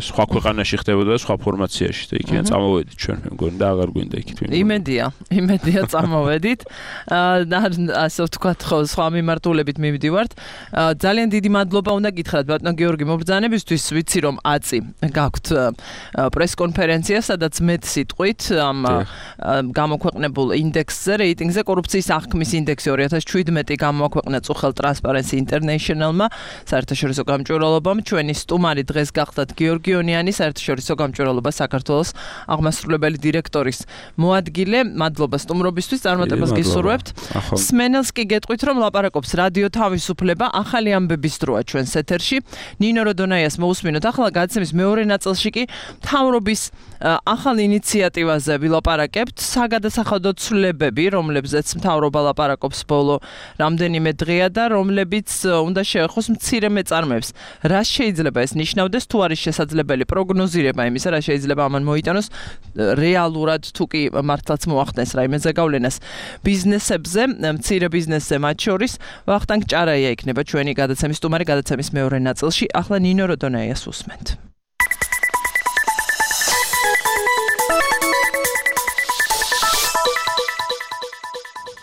სხვა ქვეყანაში ხდებოდა სხვა ფორმაციაში და იქიდან წამოვედით ჩვენ, მე მგონი და აღარ გვინდა იქით. იმედია წამოვედით. ასე ვთქვათ, ხო, სხვა მიმართულებით მივდივართ. ძალიან დიდი მადლობა უნდა გითხრათ ბატონო გიორგი მობრძანებისთვის, ვიცი რომ აწი გაქვთ პრესკონფერენცია, სადაც მეტ სიტყვით ამ გამოქვეყნებულ ინდექსზე, რეიტინგზე, კორუფციის აღქმის ინდექსი 2017 გამოაქვეყნა წუხელ Transparency International-მა, საერთაშორისო გამჭვირვალობამ. ჩვენი სტუმარი დღეს გახდათ გიორგი ონიანი, საერთაშორისო გამჭვირვალობა საქართველოს აღმასრულებელი დირექტორის მოადგილე. მადლობა სტუმრობისთვის, წარმატებას გისურვებთ. სმენელს კი გეტყვით, რომ ლაპარაკობს რადიო თავისუფლება, ახალი ამბების დროა ჩვენს ეთერში. ნინო როდონაიას მოусმინოთ. ახლა გადაცემის მეორე ნაწილში კი მთავრობის ახალ ინიციატივაზე ვილაპარაკებთ, საგადასახადო ცვლილებები, რომლებზეც მთავრობა ლაპარაკობს ბოლო რამდენიმე დღეა და რომლებიც უნდა შეეხოს მცირე მეწარმეებს. რა შეიძლება ეს ნიშნავდეს, თუ არის შესაძლებელი პროგნოზირება იმისა, რა შეიძლება ამან მოიტანოს რეალურად, თუ კი მართლაც მოახდენს რაიმე ზეგავლენას ბიზნესებზე, მცირე ბიზნესზე მათ შორის. ვახტანგ ჭარაია იქნება ჩვენი გადაცემის სტუმარი გადაცემის მეორე ნაწილში. ახლა ნინო როდონაიას უსმენთ.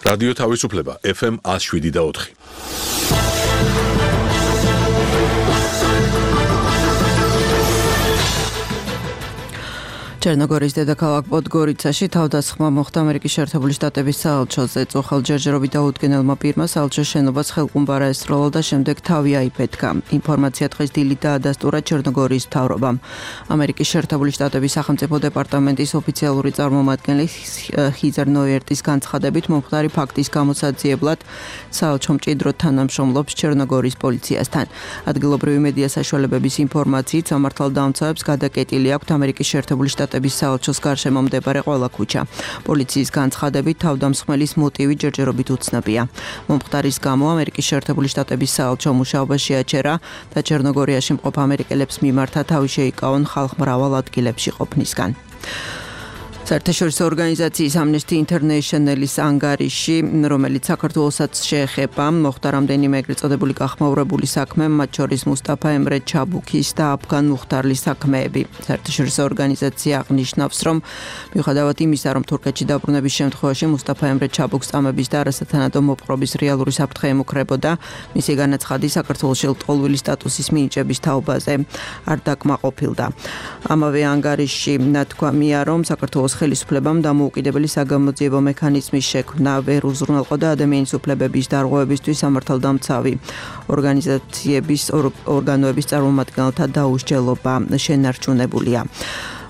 რადიო თავისუფლება FM 107.4. ჩერნოგორიის დედაქალაქ პოდგორიცაში თავდასხმა მოხდა ამერიკის შეერთებული შტატების საელჩოზე. წუხელ ჯერჯერობით დაუდგენელმა პირმა საელჩოს შენობას ხელყუმბარა ესროლა და შემდეგ თავი აიფეთქა. ინფორმაცია დღეს დილით დაადასტურა ჩერნოგორიის მთავრობამ. ამერიკის შეერთებული შტატების სახელმწიფო დეპარტამენტის ოფიციალური წარმომადგენელი ჰიზერ ნოიერტის განცხადებით მომხდარი ფაქტის გამოსაძიებლად საელჩო მჭიდროდ თანამშრომლობს ჩერნოგორიის პოლიციასთან. ადგილობრივი მედია საშუალებების ინფორმაციით სამართალდამცავებს გადაკეტილი აქვთ ამერიკის შეერთებული შტატების საელჩოს გარშემო მდებარე ყველა ქუჩა. პოლიციის განცხადებით თავდამსხმელის მოტივი ჯერჯერობით უცნობია. მომხდარის გამო ამერიკის შეერთებული შტატების საელჩო მუშაობაში აჩერა და ჩერნოგორიაში მყოფ ამერიკელებს მიმართა თავი შეიკავონ ხალხ მრავალ ადგილებში ყოფნისგან. საერთაშორისო ორგანიზაციის Amnesty International-ის ანგარიში, რომელიც საქართველოსაც შეეხება, მოხდა რამდენიმე ეგრეთ წოდებული გახმაურებული საქმე, მათ შორის მუსტაფა ემრე ჩაბუქის და აფგან მუხტარლის საქმეები. საერთაშორისო ორგანიზაცია აღნიშნავს, რომ მიუხედავად იმისა, რომ თურქეთში დაბრუნების შემთხვევაში მუსტაფა ემრე ჩაბუქს წამების და არასათანადო მოპყრობის რეალური საფრთხე ემუქრებოდა, მისი განაცხადი საქართველოში ლტოლვილი სტატუსის მინიჭების თაობაზე არ დაკმაყოფილდა. ამავე ანგარიში ნათქვამია, რომ საქართველოს ხელისუფლებამ დამოუკიდებელი საგამოძიებო მექანიზმის შექმნა ვერ უზრუნველყო და ადამიანის უფლებების დარღვევებისთვის სამართალდამცავი ორგანიზაციების ორგანოების წარმომადგენელთა დაუსჯელობა შენარჩუნებულია.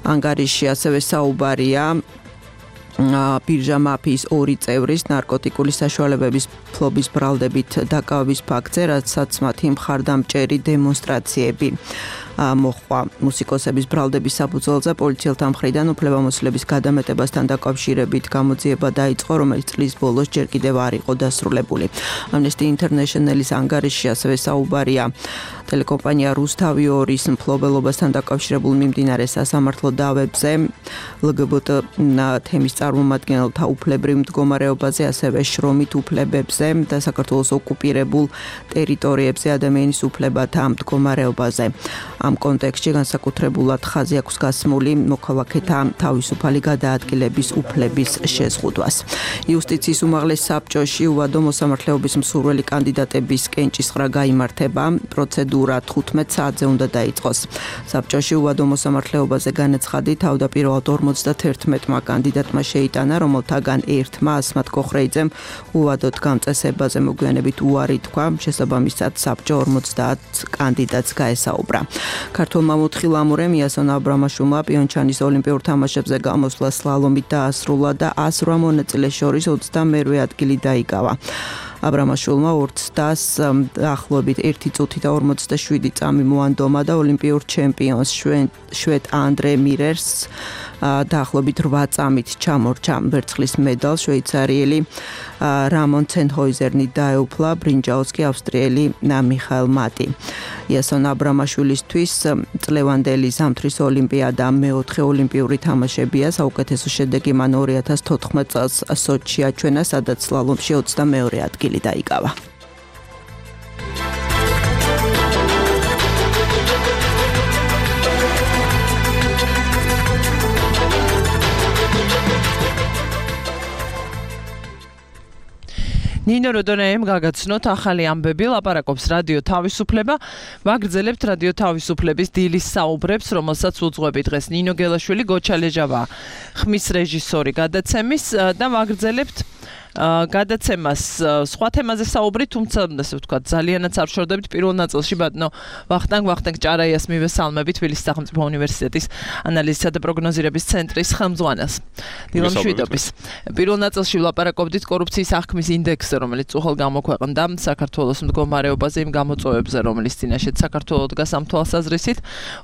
ანგარიში ასევე საუბარია ბირჟა მაფიის 2 წევრის ნარკოტიკული საშუალებების ფლობის ბრალდებით დაკავების ფაქტზე, რასაც მათი მხარდამჭერი დემონსტრაციები მოხვა. მუსიკოსების ბრალდების საფუძველზე პოლიციელთა მხრიდან უფლებამოსილების გადამეტებასთან დაკავშირებით გამოძიება დაიწყო, რომელიც წლის ბოლოს ჯერ კიდევ არ იყო დასრულებული. Amnesty International-ის ანგარიში ასევე საუბარია ტელეკომპანია რუსთავი 2-ის მფლობელობასთან დაკავშირებულ მიმდინარე სასამართლო დავებზე, LGBT თემის წარმომადგენელთა უფლებრივ მდგომარეობაზე, ასევე შრომით უფლებებზე და საქართველოს ოკუპირებულ ტერიტორიებზე ადამიანის უფლებათა მდგომარეობაზე. ამ კონტექსტში განსაკუთრებულად ხაზი აქვს გასმული მოქალაქეთა თავისუფალი გადაადგილების უფლების შეზღუდვას. იუსტიციის უმაღლეს საბჭოში უვადო მოსამართლეობის მსურველი კანდიდატების კენჭისყრა გაიმართება. პროცედურა 15 საათზე უნდა დაიწყოს. საბჭოში უვადო მოსამართლეობაზე განაცხადი თავდაპირველად 51-მა კანდიდატმა შეიტანა, რომელთაგან ერთმა ასმათ კოხრეიძემ უვადოდ გამწესებაზე მოგვიანებით უარი თქვა. შესაბამისად საბჭო 50 კანდიდატს გაესაუბრა. ქართულმა მოთხილამურემ იასონ აბრამაშვილმა პიონჩანის ოლიმპიურ თამაშებზე გამოსვლა სლალომით დაასრულა და 108 მონაწილეს შორის 22 ადგილი დაიკავა. აბრამაშვილმა 2 წუთს დაახლოებით 1 წუთი და 47 წამი მოანდომა და ოლიმპიურ ჩემპიონს შვედ ანდრე მირერს დაახლოებით 8 წამით ჩამორჩა. ვერცხლის მედალს შვეიცარიელი რამონ ცენჰოიზერნი დაეუფლა, ბრინჯაოს კი ავსტრიელი მიხაელ მატი. იასონ აბრამაშვილისთვის წლევანდელი ზამთრის ოლიმპიადა მეოთხე ოლიმპიური თამაშებია. საუკეთესო შედეგი მან 2014 წელს სოჩში აჩვენა, სადაც სლალომში 22 ადგილი დაიკავა. ნინო როდონეემ გაგაცნოთ ახალი ამბები, ლაპარაკობს რადიო თავისუფლება. ვაგრძელებთ რადიო თავისუფლების დილის საუბრებს, რომელსაც უძღვები დღეს ნინო გელაშვილი, გოჩალეჟავა ხმის რეჟისორი გადაცემის და ვაგრძელებთ გადაცემას სხვა თემაზე საუბრი, თუმცა ასე ვთქვათ, ძალიანაც არ შორდებით პირველ ნაწილში ბატონო ვახტანგ ჭარაიას მივესალმებით თბილისის სახელმწიფო უნივერსიტეტის ანალიზისა და პროგნოზირების ცენტრის ხელმძღვანელს. დილო მშვიდობის. პირველ ნაწილში ვლაპარაკობდით კორუფციის აღქმის ინდექსზე, რომელიც უხელ გამოქვეყნდა საქართველოს მდგომარეობაზე იმ გამოწვევებზე, რომელიც წინაშე საქართველოს დგას ამ თვალსაზრისით.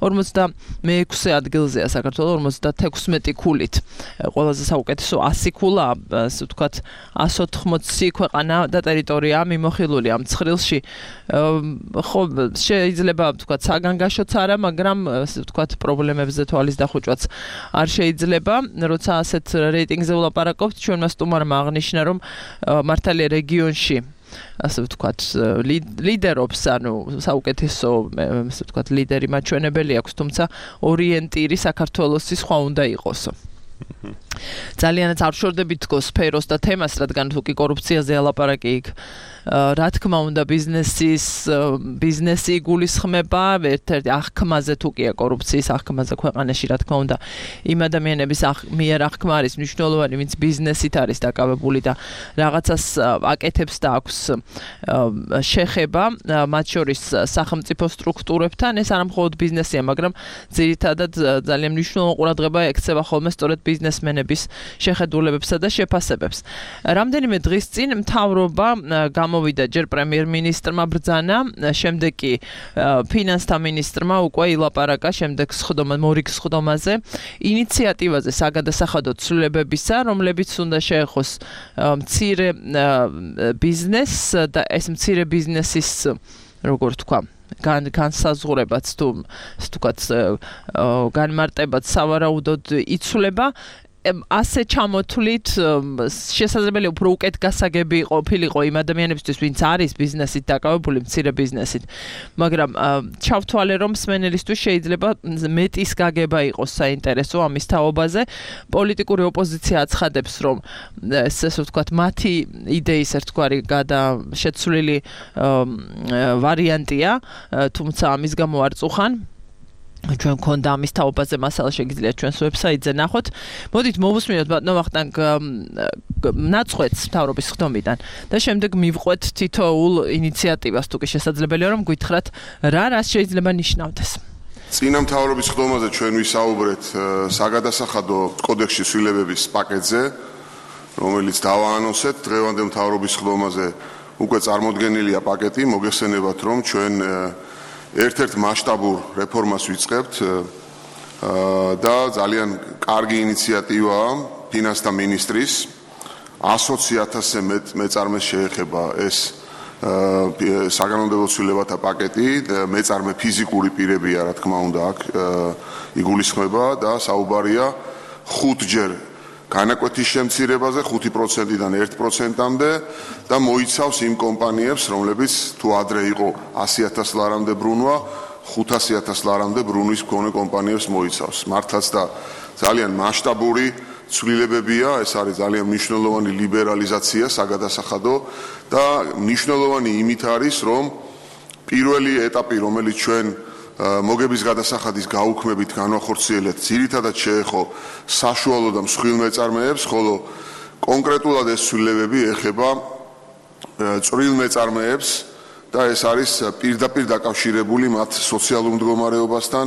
46 ადგილზეა საქართველოს 56 ქულით. ყველაზე საუკეთესო 100 ქულა, ასე ვთქვათ, 180 ქვეყანა და ტერიტორია მიმოხილული ამ ცხრილში. ხო, შეიძლება ვთქვათ, საგანგაშოც არა, მაგრამ ასე ვთქვათ, პრობლემებზე თვალის დახუჭვაც არ შეიძლება. როცა ასეთ რეიტინგზე ვლაპარაკობთ, ჩვენმა სტუმარმა აღნიშნა, რომ მართალია რეგიონში ასე ვთქვათ, ლიდერობს, ანუ საუკეთესო, ასე ვთქვათ, ლიდერი მაჩვენებელი აქვს, თუმცა ორიენტირი საქართველოსი სხვა უნდა იყოსო. ძალიანაც არ შორდებით თქო სფეროს და თემას, რადგან თუ კი კორუფციაზე ლაპარაკი იქ რა თქმა უნდა ბიზნესი იგულისხმება, ერთ-ერთი აღქმაზე თუ კია კორუფციის აღქმაზე ქვეყანაში, რა თქმა უნდა იმ ადამიანების მიერ აღქმა არის მნიშვნელოვანი, ვინც ბიზნესით არის დაკავებული და რაღაცას აკეთებს და აქვს შეხება, მათ შორის სახელმწიფო სტრუქტურებთან. ეს არა მხოლოდ ბიზნესია, მაგრამ ძირითადად ძალიან მნიშვნელოვანი ყურადღება ექცევა ხოლმე სწორედ ბიზნესმენების შეხედულებებსა და შეფასებებს. რამდენიმე დღის წინ მთავრობა გამოვიდა ჯერ პრემიერ-მინისტრმა ბრძანა, შემდეგ კი ფინანსთა მინისტრმა უკვე ილაპარაკა შემდეგ მორიგ სხდომაზე, ინიციატივაზე საგადასახადო ცვლილებებისა, რომლებიც უნდა შეეხოს მცირე ბიზნესს და ეს მცირე ბიზნესის, როგორ თქვა, განსაზღვრებაც თუ ვთქვათ, განმარტებაც სავარაუდოდ იცვლება. ასე ჩამოთვლით შესაძლებელია უფრო უკეთ გასაგები ყოფილიყო იმ ადამიანებისთვის, ვინც არის ბიზნესით დაკავებული, მცირე ბიზნესით, მაგრამ ჩავთვალე, რომ მსმენელისთვის შეიძლება მეტის გაგება იყოს საინტერესო ამის თაობაზე. პოლიტიკური ოპოზიცია აცხადებს, რომ ესე ვთქვათ, მათი იდეის ერთგვარი შეცვლილი ვარიანტია, თუმცა ამის გამო არ წუხან. ჩვენ გქონდა ამის თაობაზე მასალა, შეგიძლიათ ჩვენს ვებსაიტზე ნახოთ. მოდით მოვუსმინოთ ბატონო ვახტანგ ნაწყვეტს მთავრობის ხდომიდან და შემდეგ მივყვეთ თითოეულ ინიციატივას, თუ კი შესაძლებელია, რომ გითხრათ რას შეიძლება ნიშნავდეს. წინა მთავრობის ხდომაზე ჩვენ ვისაუბრეთ საგადასახადო კოდექსში ცვლილებების პაკეტზე, რომელიც დავაანონსეთ. დღევანდელ მთავრობის ხდომაზე უკვე წარმოდგენილია პაკეტი. მოგეხსენებათ, რომ ჩვენ ერთ-ერთ მასშტაბურ რეფორმას ვიწყებთ და ძალიან კარგი ინიციატივაა ფინანსთა მინისტრის 120,000-ზე მეტ მეწარმეს შეეხება ეს საგანონმდებლო ცვლილებათა პაკეტი. მეწარმე ფიზიკური პირებია, რა თქმა უნდა, აქ იგულისხმება და საუბარია 5-ჯერ განაკვეთის შემცირებაზე 5%-დან 1%-მდე და მოიცავს იმ კომპანიებს, რომლებიც თუ ადრე იყო 100,000 ლარამდე ბრუნვა, 500,000 ლარამდე ბრუნვის მქონე კომპანიებს მოიცავს. მართლაც და ძალიან მასშტაბური ცვლილებებია, ეს არის ძალიან მნიშვნელოვანი ლიბერალიზაცია საგადასახადო და მნიშვნელოვანი იმით არის, რომ პირველი ეტაპი, რომელიც ჩვენ მოგების გადასახადის გაუქმებით განვახორციელეთ, ძირითადად შეეხო საშუალო და მსხვილ მეწარმეებს, ხოლო კონკრეტულად ეს ცვლილებები ეხება წვრილ მეწარმეებს და ეს არის პირდაპირ დაკავშირებული მათ სოციალურ მდგომარეობასთან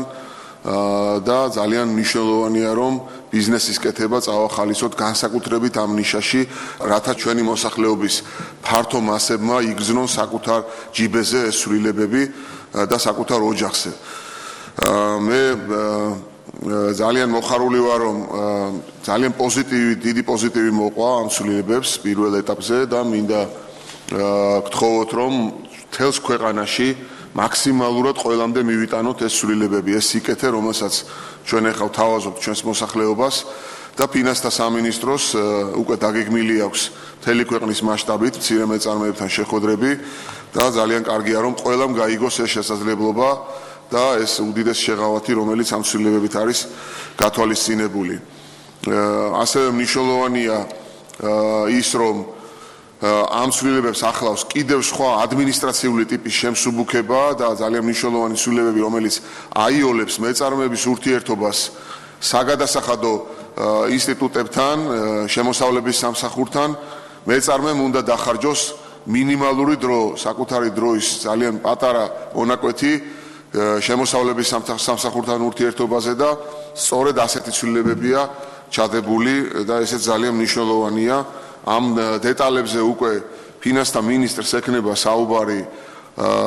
და ძალიან მნიშვნელოვანია, რომ ბიზნესის კეთება წავახალისოთ განსაკუთრებით ამ ნიშაში, რათა ჩვენი მოსახლეობის ფართო მასებმა იგრძნონ საკუთარ ჯიბეზე ეს ცვლილებები და საკუთარ ოჯახზე. მე ძალიან მოხარული ვარ, რომ ძალიან დიდი პოზიტივი მოყვა ამ ცვლილებებს პირველ ეტაპზე და მინდა გთხოვოთ, რომ მთელს ქვეყანაში მაქსიმალურად ყველამდე მივიტანოთ ეს ცვლილებები, ეს სიკეთე, რომელსაც ჩვენ ახლა ვთავაზობთ ჩვენს მოსახლეობას და ფინანსთა სამინისტროს უკვე დაგეგმილი აქვს მთელი ქვეყნის მასშტაბით მცირე მეწარმეებთან შეხვედრები და ძალიან კარგია, რომ ყველამ გაიგოს ეს შესაძლებლობა და ეს უდიდეს შეღავათი, რომელიც ამ ცვლილებებით არის გათვალისწინებული. ასევე მნიშვნელოვანია ის, რომ ამ ცვლილებებს ახლავს კიდევ სხვა ადმინისტრაციული ტიპის შემსუბუქება და ძალიან მნიშვნელოვანი ცვლილებები, რომელიც აიოლებს მეწარმეების ურთიერთობას საგადასახადო ინსტიტუტებთან, შემოსავლების სამსახურთან. მეწარმემ უნდა დახარჯოს მინიმალური დრო, საკუთარი დროის ძალიან პატარა მონაკვეთი შემოსავლების სამსახურთან ურთიერთობაზე და სწორედ ასეთი ცვლილებებია ჩადებული და ესეც ძალიან მნიშვნელოვანია. ამ დეტალებზე უკვე ფინანსთა მინისტრს ექნება საუბარი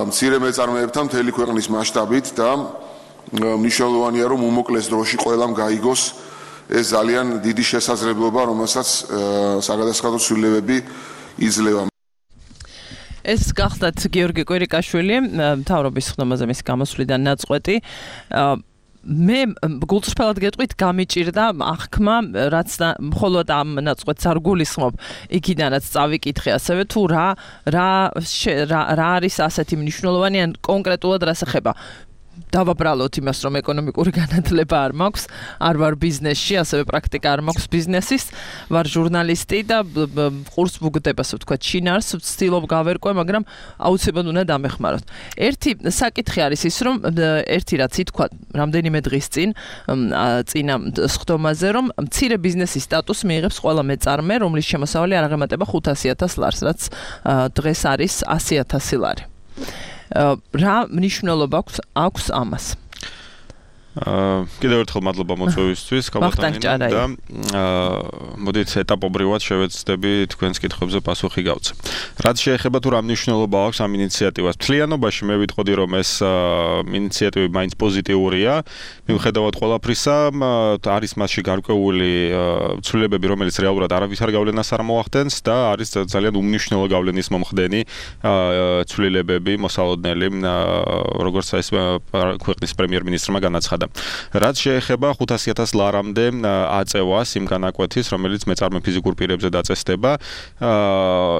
მცირე მეწარმეებთან მთელი ქვეყნის მასშტაბით და მნიშვნელოვანია რომ უმოკლეს დროში ყველამ გაიგოს ეს ძალიან დიდი შესაძლებლობა, რომელსაც საგადასახადო ცვლილებები იძლევა. ეს გახდათ გიორგი კვირიკაშვილი, მთავრობის ხდომაზე მისი გამოსვლიდან ნაწყვეტი. მე გულწრფელად გეტყვით, გამიჭირდა აღქმა, რაც მხოლოდ ამ ნაწყვეტს არ გულისხმობ, იქიდანაც წავიკითხე ასევე თუ რა არის ასეთი მნიშვნელოვანი ან კონკრეტულად რას ეხება. დავაბრალოთ იმას, რომ ეკონომიკური განათლება არ მაქვს, არ ვარ ბიზნესში, ასევე პრაქტიკა არ მაქვს ბიზნესის, ვარ ჟურნალისტი და ყურს ვუგდებას ვთქვათ, შინაარს ვცდილობ გავერკვე, მაგრამ აუცილებლად უნდა დამეხმაროთ. ერთი საკითხი არის ის, რომ ერთი რაც ითქვა რამდენიმე დღის წინა სხდომაზე, რომ მცირე ბიზნესის სტატუსს მიიღებს ყველა მეწარმე, რომლის შემოსავალი არ აღემატება 500,000 ლარს, რაც დღეს არის 100,000 ლარი. რა მნიშვნელობა აქვს ამას? კიდევ ერთხელ მადლობა მოწვევისთვის, კაბათანინა და მოდით ეტაპობრივად შევეცდები თქვენს კითხვებზე პასუხი გავცე. რაც შეეხება თუ რა მნიშვნელობა აქვს ამ ინიციატივას, მთლიანობაში მე ვიტყოდი რომ ეს ინიციატივი მაინც პოზიტიურია, მიუხედავად ყველაფრისა, არის მასში გარკვეული ცვლილებები, რომელიც რეალურად არავითარ გავლენას არ მოახდენს და არის ძალიან უმნიშვნელო გავლენის მომხდენი ცვლილებები მოსალოდნელი, როგორც ეს ქვეყნის პრემიერ-მინისტრმა განაცხადა. რაც შეეხება 500,000 ლარამდე აწევას იმ განაკვეთის, რომელიც მეწარმე ფიზიკურ პირებზე დაწესდება,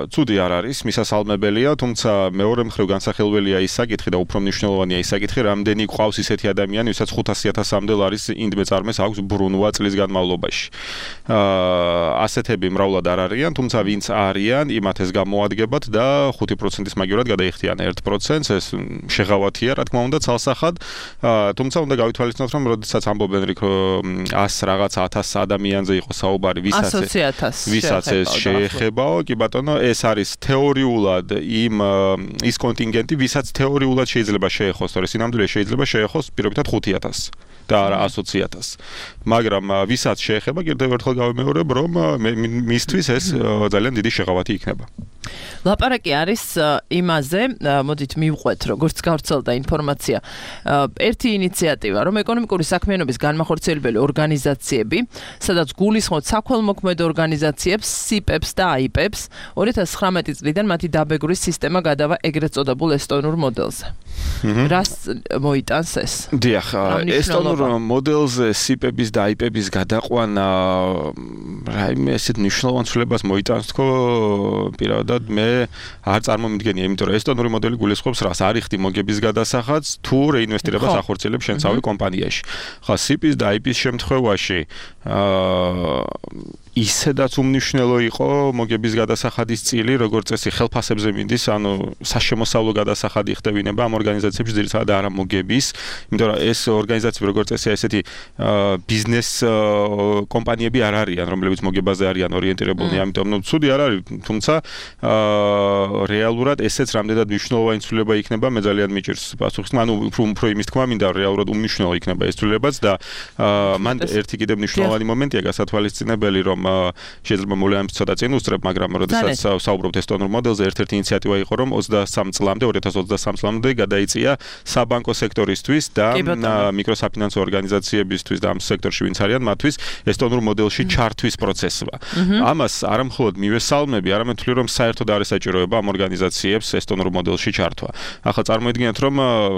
ცუდი არ არის, მისასალმებელია, თუმცა მეორე მხრივ განსახილველია ის საკითხი და უფრო მნიშვნელოვანია ის საკითხი, რამდენი ყავს ისეთი ადამიანი, ვისაც 500,000-მდე ლარის ინდ მეწარმეს აქვს ბრუნვა წლის განმავლობაში. ასეთები მრავლად არ არიან, თუმცა ვინც არიან, იმათ ეს გამოადგებათ და 5%-ის მაგივრად გადაიხდიან 1%-ს, ეს შეღავათია, რა თქმა უნდა, ცალსახად, თუმცა უნდა გავითვალისწინოთ რომ როდესაც ამბობენ რომ 100 რაღაც 1000 ადამიანზე იყო საუბარი, ვისაც ეს შეეხებაო, კი ბატონო, ეს არის თეორიულად ის კონტინგენტი, ვისაც თეორიულად შეიძლება შეეხოს, თორე სინამდვილე შეიძლება შეეხოს პირობითად 5,000 და არა 120,000. მაგრამ ვისაც შეეხება, კიდევ ერთხელ გავიმეორებ, რომ მისთვის ეს ძალიან დიდი შეღავათი იქნება. ლაპარაკი არის იმაზე, მოდით მივყვეთ, როგორც გავრცელდა ინფორმაცია. ერთი ინიციატივა, რომ ეკონომიკური საქმიანობის განმახორციელებელი ორგანიზაციები, სადაც გულისხმობთ საქველმოქმედო ორგანიზაციებს, SIP-ებს და AIP-ებს, 2019 წლიდან მათი დაბეგრვის სისტემა გადავა ეგრეთ წოდებულ ესტონურ მოდელზე. რას მოიტანს ეს? დიახ, ესტონურ მოდელზე SIP-ების და AIP-ების გადაყვანა რაიმე ესეთ მნიშვნელოვან ცვლილებას მოიტანს თქო, პირადად მე არ წარმომიდგენია, იმიტომ რომ ესტონური მოდელი გულისხმობს რას, არიხდი მოგების გადასახადს თუ რეინვესტირებას ახორციელებს შენ თავი კომპანიაში. ხა SIP-ის და AIP-ის შემთხვევაში ისედაც უმნიშვნელო იყო მოგების გადასახადის წილი, როგორც წესი ხელფასებზე მინდის, ანუ საშემოსავლო გადასახადი ხდებინება ამ ორგანიზაციებში ძირითადად არა მოგების, იმიტომ რომ ეს ორგანიზაციები როგორც წესი ესეთი ბიზნეს კომპანიები არ არიან, რომლებიც მოგებაზე არიან ორიენტირებულნი, ამიტომ ცუდი არ არის, თუმცა რეალურად ესეც რამდენად მნიშვნელოვანი ცვლილება იქნება, მე ძალიან მიჭირს პასუხს, ანუ უფრო იმის თქმა მინდა, რეალურად უმნიშვნელო იქნება ეს ცვლილებაც და მან ერთი კიდევ მნიშვნელოვანი მომენტია გასათვალისწინებელი, რომ შეიძლება მოვლენებს ცოტა წინ უსწრებ, მაგრამ როდესაც საუბრობთ ესტონურ მოდელზე, ერთ-ერთი ინიციატივა იყო, რომ 2023 წლამდე გადაიწია საბანკო სექტორისთვის და მიკროსაფინანსო ორგანიზაციებისთვის და ამ სექტორში ვინც არიან, მათთვის ესტონურ მოდელში ჩართვის პროცესმა. ამას არა მხოლოდ მივესალმები, არამედ ვთვლი, რომ საერთოდ არის საჭიროება ამ ორგანიზაციებს ესტონურ მოდელში ჩართვა. ახლა წარმოიდგინეთ, რომ